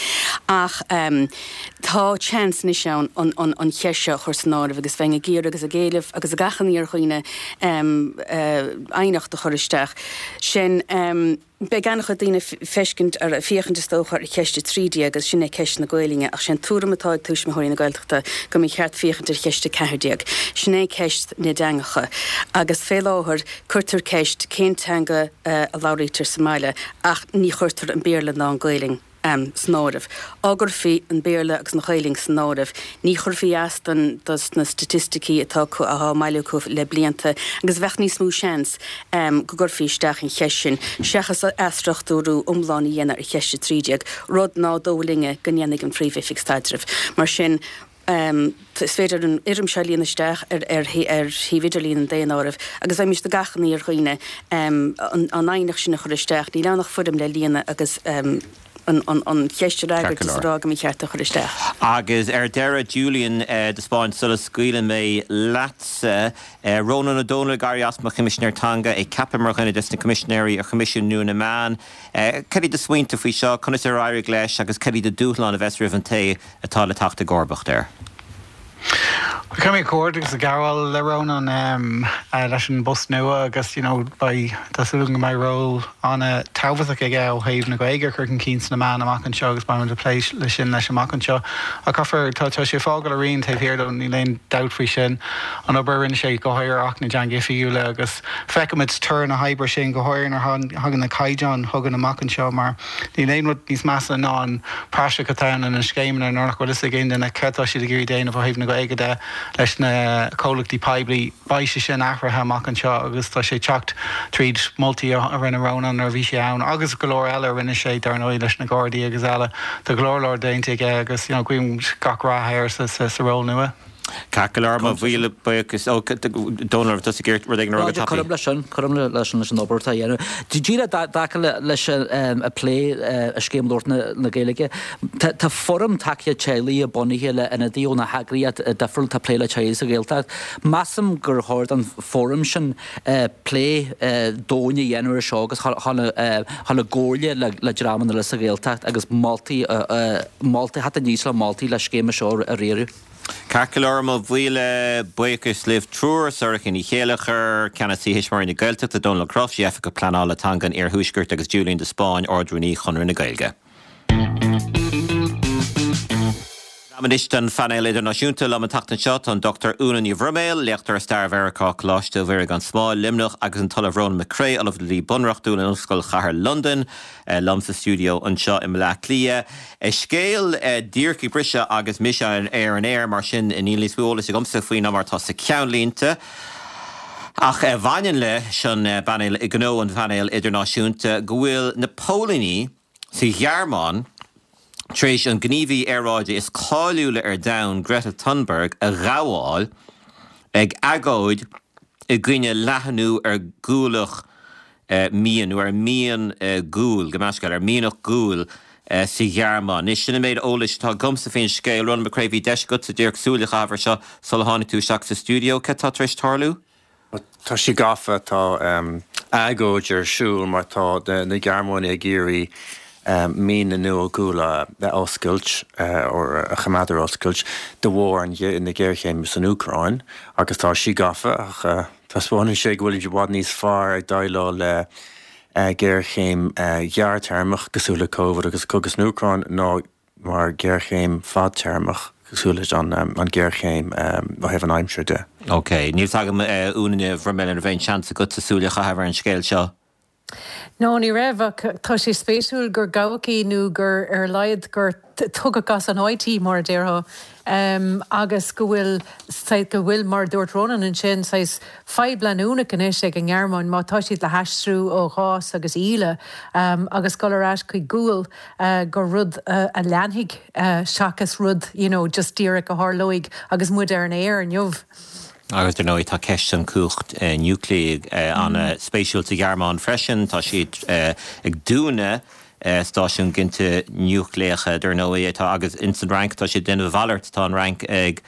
Ach tá seans anois ann an cheist seo a chur san áireamh agus bheinn ag iarraidh agus ag éileamh agus ag achainí ar dhaoine aighneacht a chur isteach. Sin. Beidh an-chuid daoine feiscint ar, féachaint is dócha, ar cheist 13 agus sin é ceist na Gaolainne ach sé an tuairim atá ag Tuismitheoirí na Gaeltachta go mba cheart féachaint ar cheist 14. Sin é ceist na dteangacha agus fé láthair cuirtear ceist cén teanga a labhraítear sa mbaile ach ní chuirtear an Béarla ná an Ghaolainn. san áireamh. Dá gcuirfí an Béarla agus an Ghaelainn san áireamh, ní chuirfí as don dos na staitisticí atá acu, atá á mbailiú acu le blianta agus bheadh níos mó seans go gcuirfí isteach an cheist sin, seachas athstruchtúrú iomlán a dhéanamh ar cheist 13, rud ná dóigh linne go ndéanfaidh an Phríomh-Oifig Staidrimh. Mar sin. Is féidir an fhoirm seo a líonadh isteach ar shuíomh idirlín an Daonáirimh agus bheimis ag achainí ar dhaoine an aighneacht sin a chur isteach. Níl ann ach foirm le líonadh agus an cheist a fhreagairt is a rá go mba cheart é a chur isteach. Agus ar deireadh, Julian de Spáinn, sula scaoileann mé leatsa, Rónán Ó Domhnaill ag éirí as mar Choimisinéir Teanga, é ceaptha mar dhuine des na Coimisinéirí ar Choimisiún nua na Meán. Cad iad do smaointe faoi seo, conas ar éirigh leis agus cad iad na dúshláin a bheas roimh an té atá le teacht i gcomharbacht air. Caithfidh mé comhghairdeachas a ghabháil le Rónán leis an bpost nua agus you know beidh, tá súil agam go mbeidh ról an-tábhachtach aige ó thaobh na Gaeilge a chur chun cinn sna meáin amach anseo agus beidh muid ag plé leis sin leis amach anseo. Ach caithfear, tá sé ag fágáil a rian taobh thiar dó, níl aon dabht faoi sin. An obair a rinne sé go háirithe ar Acht na dTeangacha Oifigiúla agus feicfimid toradh na hoibre sin go háirithe nuair a thagann na caighdeáin chugainn amach anseo mar Níl aon rud níos measa ná an praiseach atá ann ina scéimeanna nuair nach bhfuil fhios ag aon duine céard atá siad ag iarraidh déanamh ó thaobh na Gaeilge de leis na comhlachtaí poiblí. Beidh sé sin athraithe amach anseo agus tá sé ag teacht tríd moltaí a rinne Rónán nuair a bhí sé ann agus go leor eile a rinne sé dar ndóigh leis na Gardaí agus eile. Tá go leor leor déanta aige agus you know guím gach rath air sa ról nua. Ceart go leor, mo mhíle buíochas. Ó, Dónal, raibh tusa ag iarraidh rud éigin a rá go tapaidh? Cuirim leis sin, cuirim leis an obair atá á dhéanamh. Díreach i dtaca leis an plé i Scéim Labhairt na Gaeilge, tá fóram tacaíocht teaghlaigh bunaithe le ionadaithe ó na heagraíochtaí difriúla atá ag plé le teaghlaigh sa Ghaeltacht. Measaim gur chóir don fóram sin plé domhain a dhéanamh ar seo agus dhul i gcomhairle le dreamanna eile sa Ghaeltacht agus moltaí, moltaí, theacht aníos le moltaí le scéim seo a riaradh. Ceart go leor, mo mhíle buíochas libh triúr, Sorcha Ní Chéilleachair, Ceannasaí Thuismitheoirí na Gaeltachta, Dónal Ó Cróifí, Oifigeach Pleanála Teanga an Iarthuaiscirt agus Julian de Spáinn, Ard-Rúnaí Chonradh na Gaeilge. Am anois don phainéal idirnáisiúnta. Liom an tseachtain seo tá an Dr Úna Ní Bhroiméil, léachtóir i Stair Mheiriceá, Coláiste Mhuire gan Smál, Luimneach, agus an tOllamh Rónán Mac Craith, Ollamh le Dlí Bunreachtúil in Ollscoil Chathair Londain, liom sa stiúideo anseo i mBleá Cliath. Scéal díreach ag briseadh agus mise ar an aer, mar sin níl níos mó eolais agamsa faoi ná mar atá sna ceannlínte, ach a bhaineann leis an bpainéal, gnó an phainéil idirnáisiúnta, go bhfuil na póilíní sa Ghearmáin tar éis an gníomhaí aeráide is cáiliúla ar domhan, Greta Thunberg, a ghabháil ag agóid i gcoinne leathnú ar ghualach mian, nó ar mian guail, gabh mo leithscéal, ar mianach guail sa Ghearmáin. Anois, sin an méid eolais atá agamsa faoin scéal. Rónán Mac Craith, bhí deis agatsa díreach súil a chaitheamh air seo sula tháinig tú isteach sa stiúideo. Cad tá tar éis tarlú? Tá sí gafa, tá agóid ar siúl mar tá na Gearmánaigh ag iarraidh mianaigh nua guail a oscailt, or a choimeád ar oscailt, de bharr na géarchéime san Úcráin agus tá sí gafa ach taispeánann sé go bhfuilimid i bhfad níos fearr ag déileáil le géarchéim ghearrthéarmach cosúil le Covid agus cogadh san Úcráin ná mar ghéarchéim fadtéarmach cosúil leis an ghéarchéim ó thaobh an aimsir de. Ok. Níl 's agam, a Úna Ní Bhroiméil, an raibh aon seans agatsa súil a chaitheamh ar an scéal seo? No, ní raibh, ach tá sé spéisiúil gur gabhadh í nó gur, ar a laghad, gur tugadh as an áit í, mar a déarfá, agus go bhfuil, go bhfuil, mar a dúirt Rónán ansin, saghas fadhb leanúnach anois ag an nGearmáin má tá siad le haistriú ó ghás agus íle agus dul ar ais chuig gual, gur rud a leanfaidh seachas rud, you know, just díreach a tharlóidh agus muid ar an aer inniu. Agus dar ndóigh tá ceist an cumhacht núicléigh an-spéisiúil sa Ghearmáin freisin. Tá siad ag dúnadh. stáisiún ginte núicléacha, dar ndóigh, atá agus ins an Fhrainc tá siad ag déanamh a mhalairt, tá an Fhrainc ag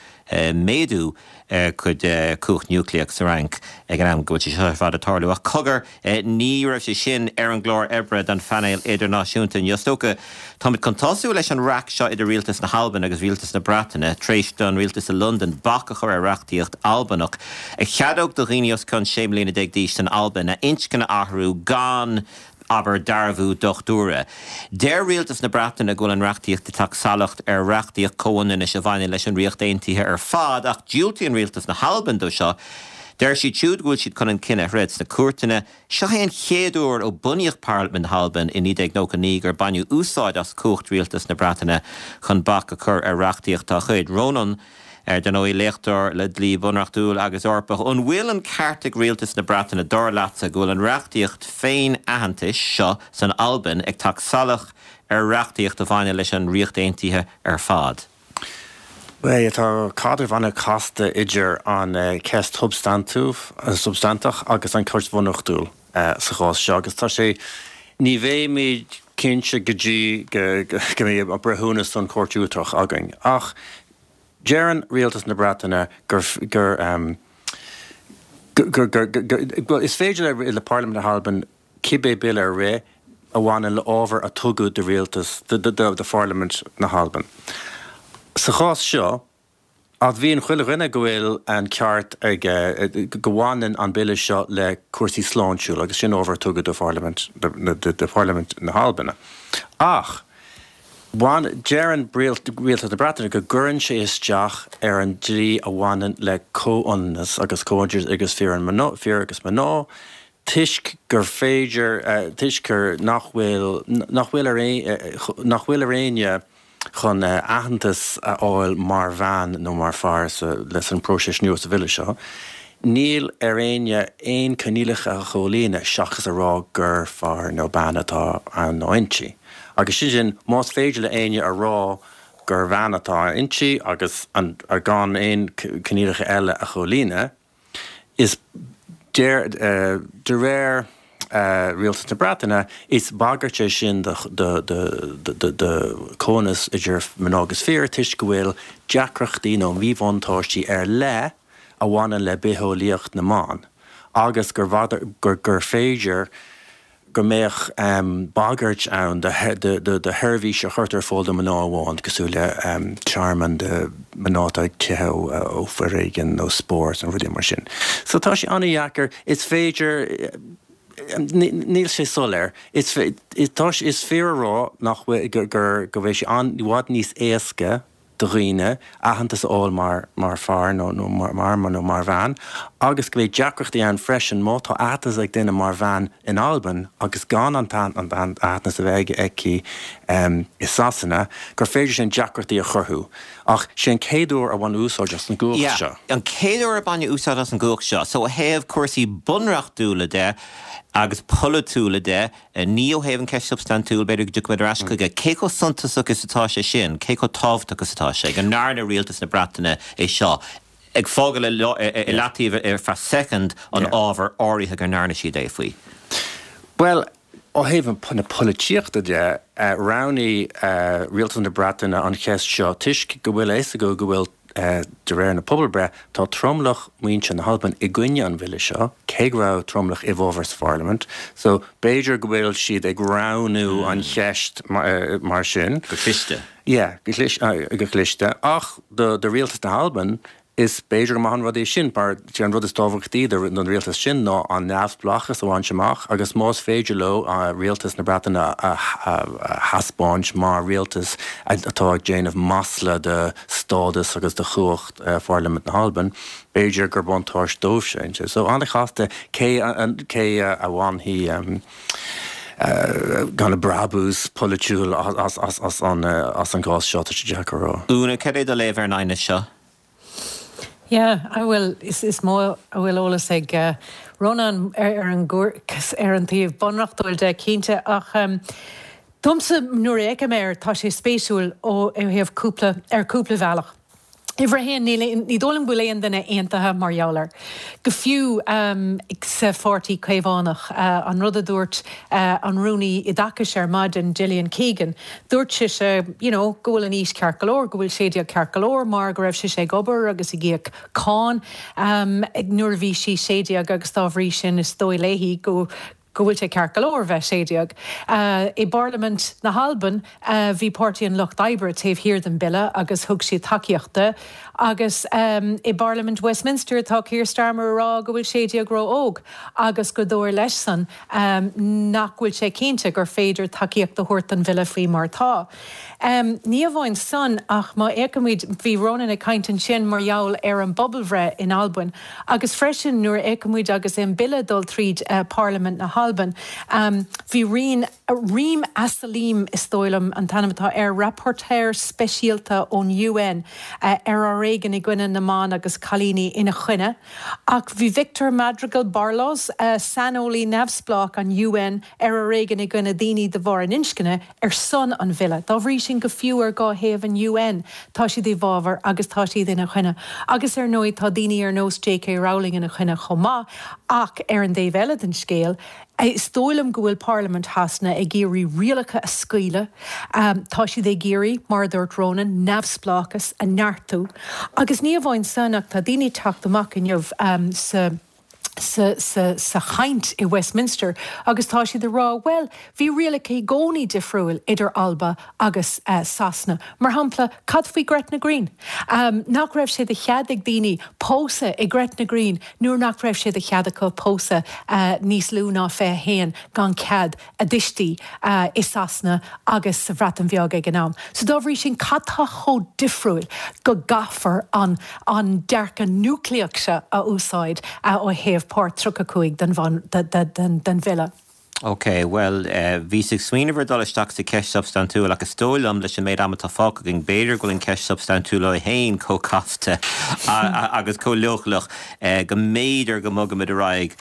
méadú a cuid cumhacht núicléach sa Fhrainc ag an am go bhfuil sé seo ar fad ag tarlú. Ach cogar, ní raibh sé sin ar an gclár oibre don phainéal idirnáisiúnta inniu. Is dócha, táimid chun tosú leis an raic seo idir rialtas na hAlban agus rialtas na Breataine tar éis don rialtas i Londain bac a chur ar reachtaíocht Albanach a cheadódh do dhaoine os cionn 16 mbliana d'aois san Albain a inscne a athrú gan abair, dearbhú dochtúra. Deir rialtas na Breataine go bhfuil an reachtaíocht ag teacht salach ar reachtaíocht comhionannais a bhaineann leis an Ríocht Aontaithe ar fad ach diúltaíonn rialtas na hAlban dó seo. Deir siad siúd go bhfuil siad chun an cinneadh a throid sna cúirteanna. Seo é an chéad uair ó bunaíodh Parlaimint na hAlban i 1999 gur baineadh úsáid as cumhacht rialtas na Breataine chun bac a chur ar reachtaíocht dá chuid. Rónán. Ar ndóigh, léachtóir le dlí bunreachtúil agus Eorpach, an bhfuil an ceart ag rialtas na Breataine, dar leatsa, go bhfuil an reachtaíocht féin-aitheantais seo san Albain ag teacht salach ar reachtaíocht a bhaineann leis an Ríocht Aontaithe ar fad? Bhuel, tá caidreamh an-chasta idir an cheist shubstainteach agus an cheist bhunreachtúil sa chás seo agus tá sé, ní bheimid cinnte go dtí go mbeidh breithiúnas ón Chúirt Uachtarach againn ach Deireann rialtas na Breataine gur gur gur gur bhuel is féidir le Parlaimint na hAlban cibé bille a rith a bhaineann le ábhar a tugadh do rialtas do do Pharlaimint na hAlban. Sa chás seo, admhaíonn chuile dhuine go bhfuil an ceart ag go bhaineann an bille seo le cúrsaí sláintiúla agus sin ábhar a tugadh do Pharlaimint do Pharlaimint na hAlban. Ach Bhain, deireann Rialtas na Breataine go gcuireann sé isteach ar an dlí a bhaineann le comhionannas agus comhionannas idir fir agus mná toisc gur féidir, toisc gur nach bhfuil, nach bhfuil ar nach bhfuil ar éinne chun aitheantas a fháil mar bhean nó mar fear sa leis an próiseas nua sa bhille seo. Níl ar éinne aon coinníollacha a chomhlíonadh seachas a rá gur fear nó bean atá ann nó inti. Agus sin sin, más féidir le éinne a rá gur bhean atá inti agus an gan aon coinníollacha eile a chomhlíonadh, is de de réir Rialtas na Breataine, is bagairt é sin do do chomhionannas idir mná agus fir toisc go bhfuil deacrachtaí nó míbhuntáistí ar leith a bhaineann le bitheolaíocht na mban agus gur gur féidir go mbeadh bagairt ann do sheirbhísí a chuirtear ar fáil do mhná amháin, cosúil le tearmann do mhná atá ag teitheadh ó foréigean nó spórt nó rudaí mar sin. So tá sé an-dheacair. Is féidir, níl sé soiléir. Is fíor a rá nach bhfuil, gur, go bhfuil sé i bhfad níos éasca do dhaoine aitheantas a fháil mar mar fear nó nó mar mar nó mar bhean agus go mbeidh deacrachtaí ann freisin má tá aitheantas ag duine mar bhean in Albain agus gan an t-aitheantas a bheith aige aici i Sasana gur féidir sin deacrachtaí a chruthú. Ach sé an chéad uair a baineadh úsáid as an gcumhacht Yeah, seo. an chéad uair a baineadh úsáid as an gcumhacht seo. So ó thaobh cúrsaí bunreachtúla de agus polaitiúla de, Ní ó thaobh an ceist shubstaintiúil, b'fhéidir go dtiocfaimid ar ais chuige. Cé chomh suntasach is atá sé sin? Cé chomh tábhachtach is atá sé go ndearna rialtas na Breataine é seo, ag fágáil i leataobh ar feadh soicind an ábhar áirithe go ndearna siad é faoi? Bhuel, ó thaobh na polaitíochta de, roghnaigh rialtas na Breataine an cheist seo toisc go bhfuil a fhios acu go bhfuil De réir na pobalbreith, tá tromlach muintir na hAlban i gcoinne an bhille seo, cé go raibh tromlach i bhfabhar sa pharlaimint. So, b'fhéidir go bhfuil siad ag roghnú an cheist mar sin. Go cliste. Yeah, go cliste. Ach do rialtas na hAlban, is b'fhéidir go maith an rud é sin, mar sé an rud is tábhachtaí don rialtas sin ná an neamhspleáchas a bhaint amach agus más féidir leo rialtas na Breataine a thaispeáint mar rialtas atá ag déanamh masla de stádas agus de chumhacht Pharlaimint na hAlban, b'fhéidir gur buntáiste dóibh sin. So an-chasta cé cé a bhainfidh kind of brabús polaitiúil as an gcás seo, tá sé deacair a rá. Úna, cad é do léamh ar an aighneas seo? Yeah, bhuel, is mó a bhfuil eolas ag Rónán ar an ar an taobh bunreachtúil de, cinnte, ach Domsa, nuair a fheicim air, tá sé spéisiúil ó thaobh cúpla, ar cúpla bhealach. Uimhir a haon, níl, ní dóigh liom go bhfuil aon duine aontaithe mar gheall air. Go fiú sa Pháirtí Caomhánach, an rud a dúirt an Rúnaí Oideachais ar maidin, Gillian Keegan, dúirt sise, you know, go bhfuil an aois ceart go leor, go bhfuil 16 ceart go leor mar go raibh sise ag obair agus ag íoc cáin nuair a bhí sí 16 agus dá bhrí sin is dóigh léi go go bhfuil sé ceart go leor bheith 16. I bParlaimint na hAlban bhí Páirtí an Lucht Oibre taobh thiar den bille agus thug siad tacaíocht de agus i bParlaimint Westminster tá Keir Starmer ag rá go bhfuil 16 ró-óg agus gur dóigh leis-san nach bhfuil sé cinnte gur féidir tacaíocht a thabhairt don bhille faoi mar atá. Ní amháin san ach má fhéachaimid, bhí Rónán ag caint ansin mar gheall ar an bpobalbhreith in Albain agus freisin nuair a fhéachaimid agus an bille ag dul tríd Parlaimint na hAlban, bhí Reem, Reem Alsalem is dóigh liom an t-ainm atá air, rapporteur speisialta ón UN ar fhoréigean i gcoinne na mban agus cailíní ina choinne ach bhí Victor Madrigal Barloz, saineolaí neamhspleách an UN ar fhoréigean i gcoinne daoine de bharr a n-inscne, ar son an bhille. Dá bhrí sin, go fiú ar dhá thaobh an UN, tá siad i bhfabhar agus tá siad ina choinne. Agus ar ndóigh, tá daoine ar nós J.K. Rowling ina choinne chomh maith. Ach ar an dtaobh eile den scéal, is dóigh liom go bhfuil Parlaimint Shasana ag iarraidh rialacha a scaoileadh. Tá siad ag iarraidh, mar a dúirt Rónán, neamhspleáchas a neartú. Agus ní amháin san, ach tá daoine ag teacht amach inniu sa. sa, sa, sa chaint i Westminster agus tá siad ag rá, bhuel, bhí rialacha i gcónaí difriúil idir Alba agus Sasana. Mar shampla, cad faoi Gretna Green? Nach raibh sé de chead ag daoine pósadh i Gretna Green nuair nach raibh sé de chead acu pósadh níos lú ná 21 gan cead a dtuistí i Sasana agus sa Bhreatain Bheag ag an am. So dá bhrí sin, cad tá chomh difriúil go gcaithfear an an dearcadh núicléach seo a úsáid ó thaobh Páirt 35 den den bhille? Ok, bhuel, bhíos ag smaoineamh ar dul isteach sa cheist shubstaintiúil ach is dóigh liom, leis an méid ama atá fágtha againn, b'fhéidir go bhfuil an cheist shubstaintiúil í féin chomh casta agus chomh leochaileach go mb'fhéidir go mbogfaimid ar aghaidh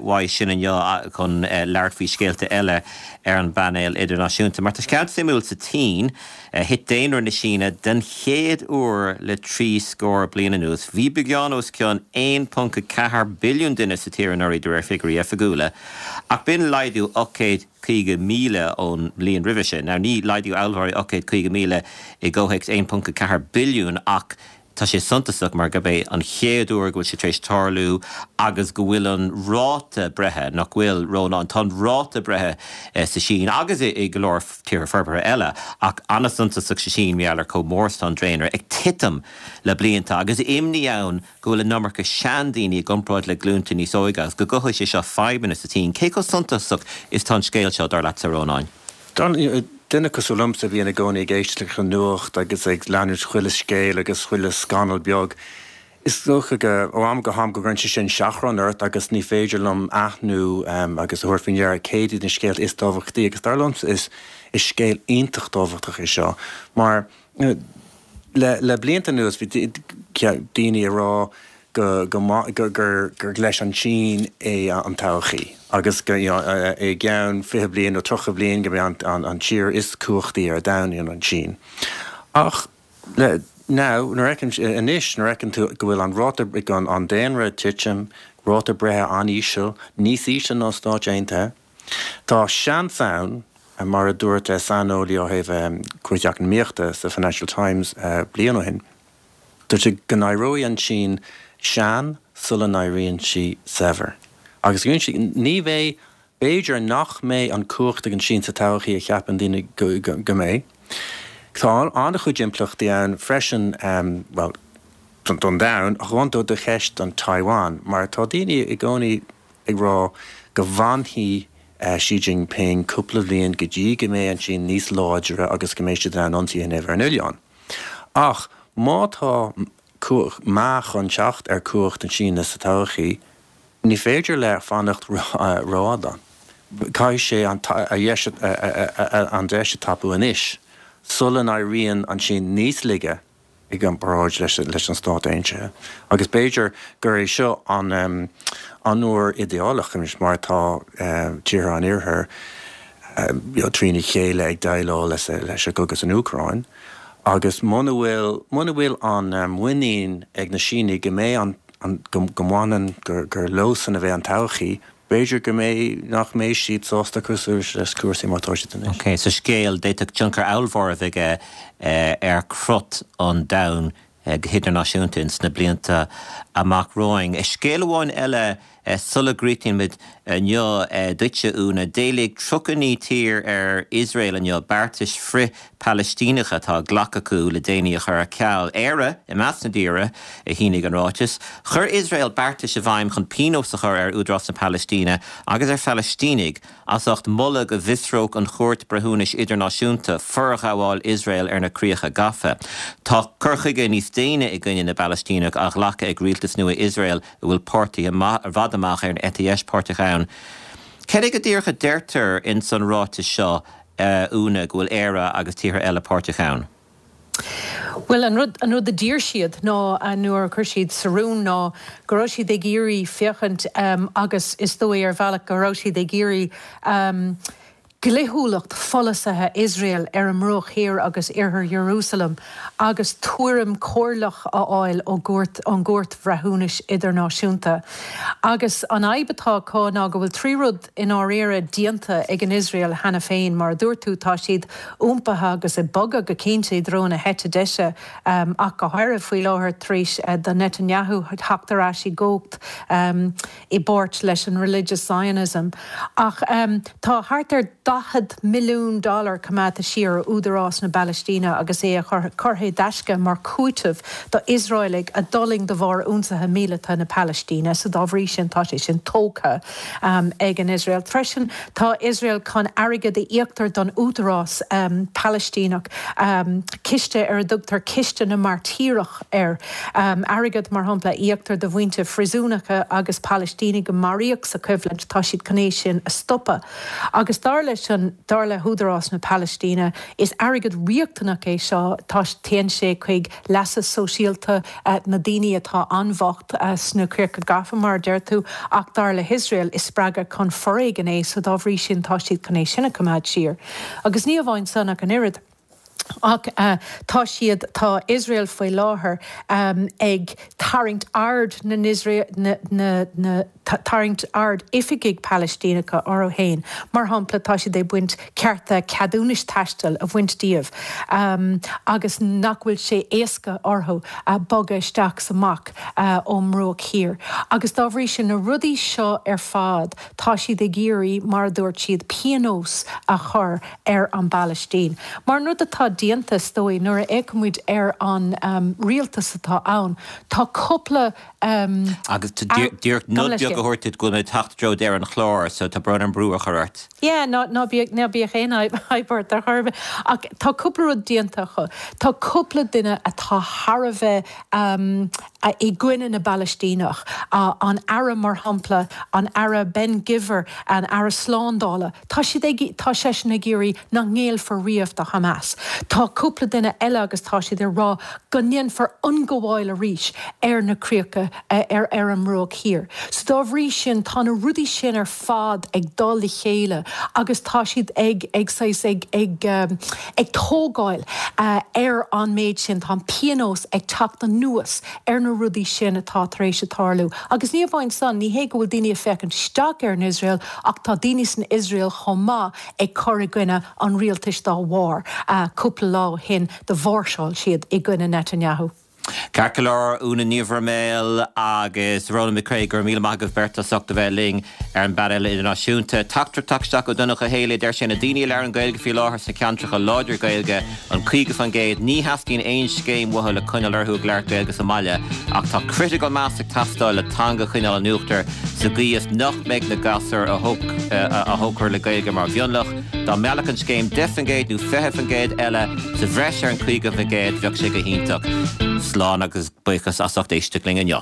uaidh sin inniu chun labhairt faoi scéalta eile ar an bpainéal idirnáisiúnta. Mar tá scéal suimiúil sa tSín. Thit daonra na Síne den chéad uair le 30 scór bliain anuas. Bhí beagán os cionn 1.4 billiún duine sa tír anuraidh de réir figiúirí oifigiúla, ach b'in laghdú 850,000 ón mbliain roimhe sin. Now ní laghdú ollmhór é 850,000 i gcomhthéacs 1.4 billiún ach Tá sé suntasach mar gurb é an chéad uair go bhfuil sé tar éis tarlú agus go bhfuil an ráta breithe, nach bhfuil, Rónán, tá an ráta breithe sa Sín agus i go leor tíortha forbartha eile, ach an-suntasach sa Sín mar gheall ar chomh mór is atá an daonra, ag titim le blianta agus imní ann go bhfuil an iomarca seandaoine i gcomparáid le glúnta níos óige agus go gcothóidh sé seo fadhbanna sa tSín. Cé chomh suntasach is atá an scéal seo, dar leatsa, a Rónáin? Duine cosúil liomsa a bhíonn i gcónaí ag éisteacht leis an nuacht agus ag leanúint chuile scéal agus chuile scannal beag, is dócha go, ó am go ham, go gcuireann sé sin seachrán ort agus ní féidir liom aithniú agus a thabhairt faoi ndeara céard iad na scéalta is tábhachtaí agus dar liomsa is scéal iontach tábhachtach é seo mar le le blianta anuas bhí daoine ag rá go go gur gur leis an tSín é an todhchaí agus go you know i gceann 20 bliain nó 30 bliain go mbeidh an an tír is cumhachtaí ar domhan an tSín. Ach le now nuair a fheiceann anois nuair a fheiceann tú go bhfuil an ráta an an daonra ag titim, ráta breithe an-íseal, níos ísle ná Stáit Aontaithe, tá seans ann mar a dúirt saineolaí ó thaobh cúrsaí eacnamaíochta sa Financial Times bliain ó shin, Dúirt sé go n-éireoidh an tSín sean sula n-éiríonn sí saibhir. Agus dúirt sé, ní bheidh, b'fhéidir nach mbeidh an cumhacht ag an tSín sa todhchaí a cheapann daoine go mbeidh. Tá an-chuid impleachtaí ann freisin, bhuel, don domhan, ach amháin do cheist an Taiwan, mar tá daoine i gcónaí ag rá go bhfanfaidh Xi Jinping cúpla bhliain go dtí go mbeidh an tSín níos láidre agus go mbeidh siad in ann ionsaí a dhéanamh ar an oileán. Ach má tá meath chun teacht ar cumhacht na Síne sa todhchaí, ní féidir leis fanacht rófhada. Caithfidh sé an deis a tapú anois, sula n-éiríonn an tSín níos laige i gcomparáid leis an Stát Aontaithe. Agus b'fhéidir gur é seo an uair idéalach anois mar tá tíortha an Iarthair trína chéile ag déileáil leis an gcogadh san Úcráin. Agus muna bhfuil, muna bhfuil an muinín ag na Sínigh go mbeidh an, an, go, go mbaineann, gur, gur leosan a bheidh an todhchaí, b'fhéidir go mbeidh, nach mbeidh siad sásta cur suas leis cúrsaí mar atá siad anois. Ok, so scéal, d'fhéadfadh tionchar ollmhór a bheith aige ar chrut an domhain go hidirnáisiúnta ins na blianta amach romhainn. Scéal amháin eile sula gcríochnaíonn muid inniu, duitse Úna, d'éiligh 39 tír ar Iosrael inniu beartais frith-Phalaistíneacha atá glactha acu le déanaí a chur ar ceal. Éire i measc na dtíortha a shínigh an ráiteas. Chuir Iosrael beartais i bhfeidhm chun pionós a chur ar Údarás na Palaistíne agus ar Phalaistínigh as ucht moladh go bhfiosródh an Chúirt Breithiúnais Idirnáisiúnta forghabháil Iosrael ar na críocha gafa. Tá cur chuige níos déine i gcoinne na bPalaistíneach á ghlacadh ag rialtas nua Iosrael a bhfuil páirtithe i bhfad amach ar an eite dheis páirteach ann. Cad é go díreach a deirtear ins an ráiteas seo, a Úna, go bhfuil Éire agus tíortha eile páirteach ann? Bhuel, an rud, an rud a d'iarr siad ná, nuair a chuir siad sa rún ná go raibh siad ag iarraidh féachaint agus is dóigh ar bhealach go raibh siad ag iarraidh dlíthiúlacht pholasaithe Iosrael ar an mBruach Thiar agus Iarthar Iarúsailéim agus tuairim chomhairleach a fháil ó gcúirt, ón gCúirt Bhreithiúnais Idirnáisiúnta. Agus an fhadhb atá acu ná go bhfuil 3 rud i ndáiríre déanta ag an Iosrael cheana féin. Mar a dúirt tú, tá siad iompaithe agus ag bogadh go cinnte i dtreo na heite deise, ach go háirithe faoi láthair tar éis do Netanyahu theacht ar ais i gcumhacht i bpáirt leis an Religious Zionism. Ach tá thart ar 40 milliún dollar coimeádta siar ó Údarás na Palaistíne agus é a curtha i dtaisce mar chúiteamh do Iosraelaigh a d'fhulaing de bharr ionsaithe míleata na Palaistíne, so dá bhrí sin tá sé sin tógtha ag an Iosrael. Freisin tá Iosrael chun airgead a íoctar don Údarás Palaistíneach, ciste ar a dtugtar Ciste na Mairtíreach air, airgead mar shampla a íoctar do mhuintir phríosúnacha agus Palaistínigh a maraíodh sa choimhlint, tá siad chun é sin a stopadh. Agus dar leis an, dar le hÚdarás na Palaistíne, is airgead riachtanach é seo, tá, téann sé chuig leasa sóisialta na daoine atá an-bhocht sna críocha gafa, mar a deir tú, ach dar le hIosrael, is spreagadh chun foréigin é, so dá bhrí sin tá siad chun é sin a choimeád siar. Agus ní amháin san ach an oiread. Ach tá siad, tá Iosrael faoi láthair ag tarraingt aird na n-Iosrael, na, na, tarraingt aird oifigigh Palaistíneacha orthu féin. Mar shampla, tá siad ag baint cearta ceadúnais taistil a bhaint díobh agus nach bhfuil sé éasca orthu bogadh isteach 's amach ón mBruach Thiar. Agus dá bhrí sin, na rudaí seo ar fad, tá siad ag iarraidh, mar a dúirt siad, pionós a chur ar an bPalaistín. Mar an rud atá déanta, is dóigh, nuair a fhéachaimid ar an rialtas atá ann, tá cúpla. Agus díreach nod beag a thabhairt duit go bhfuil mé ag teacht i dtreo deireadh an chláir, so tá brón orm brú a chur ort. Yeah, ná, ná bíodh, ná bíodh aon fhadhb ort ar chor ar bith. Ach tá cúpla rud déanta acu. Tá cúpla duine atá thar a bheith i gcoinne na bPalaistíneach. An Aire, mar shampla, an Aire Ben Gvir, an Aire Slándála, Tá siad ag, tá seisean ag iarraidh nach ngéillfear riamh do Hamas. Tá cúpla duine eile agus tá siad ag rá go ndéanfar ionghabháil arís ar na críocha, ar, ar an mBruach Thiar. So dá bhrí sin tá na rudaí sin ar fad ag dul le chéile agus tá siad ag, ag saghas, ag, ag, ag tógáil ar an méid sin. Tá an pionós ag teacht anuas ar na rudaí sin atá tar éis a tarlú. Agus ní amháin san, ní hé go bhfuil daoine ag féachaint isteach ar an Iosrael, Ach tá daoine san Iosrael chomh maith ag cur i gcoinne an rialtais dá bharr. Cúpla lá ó shin do mháirseáil siad i gcoinne Netanyahu. Ceart go leor, Úna Ní Bhroiméil agus Ronan McCrea, go raibh míle maith agaibh beirt as ucht a bheith linn ar an bPainéal Idirnáisiúnta. Teachtaireacht ag teacht isteach ó Donncha Ó Héalaí, deir sé na daoine a labhrann Gaeilge faoi láthair sna ceantracha láidir Gaeilge, an 50%, ní theastaíonn aon scéim uathu le coinneáil orthu ag labhairt Gaeilge sa mbaile ach tá critical mass ag teastáil le teanga a choinneáil in uachtar. Sa gcaoi is nach mbeidh na gasúir a thógfar le Gaeilge mar mhionlach, dá meallfadh an scéim 10% nó 20% eile sa bhreis ar an 50% bheadh sé go hiontach. Slán agus buíochas as ucht éisteacht linn inniu.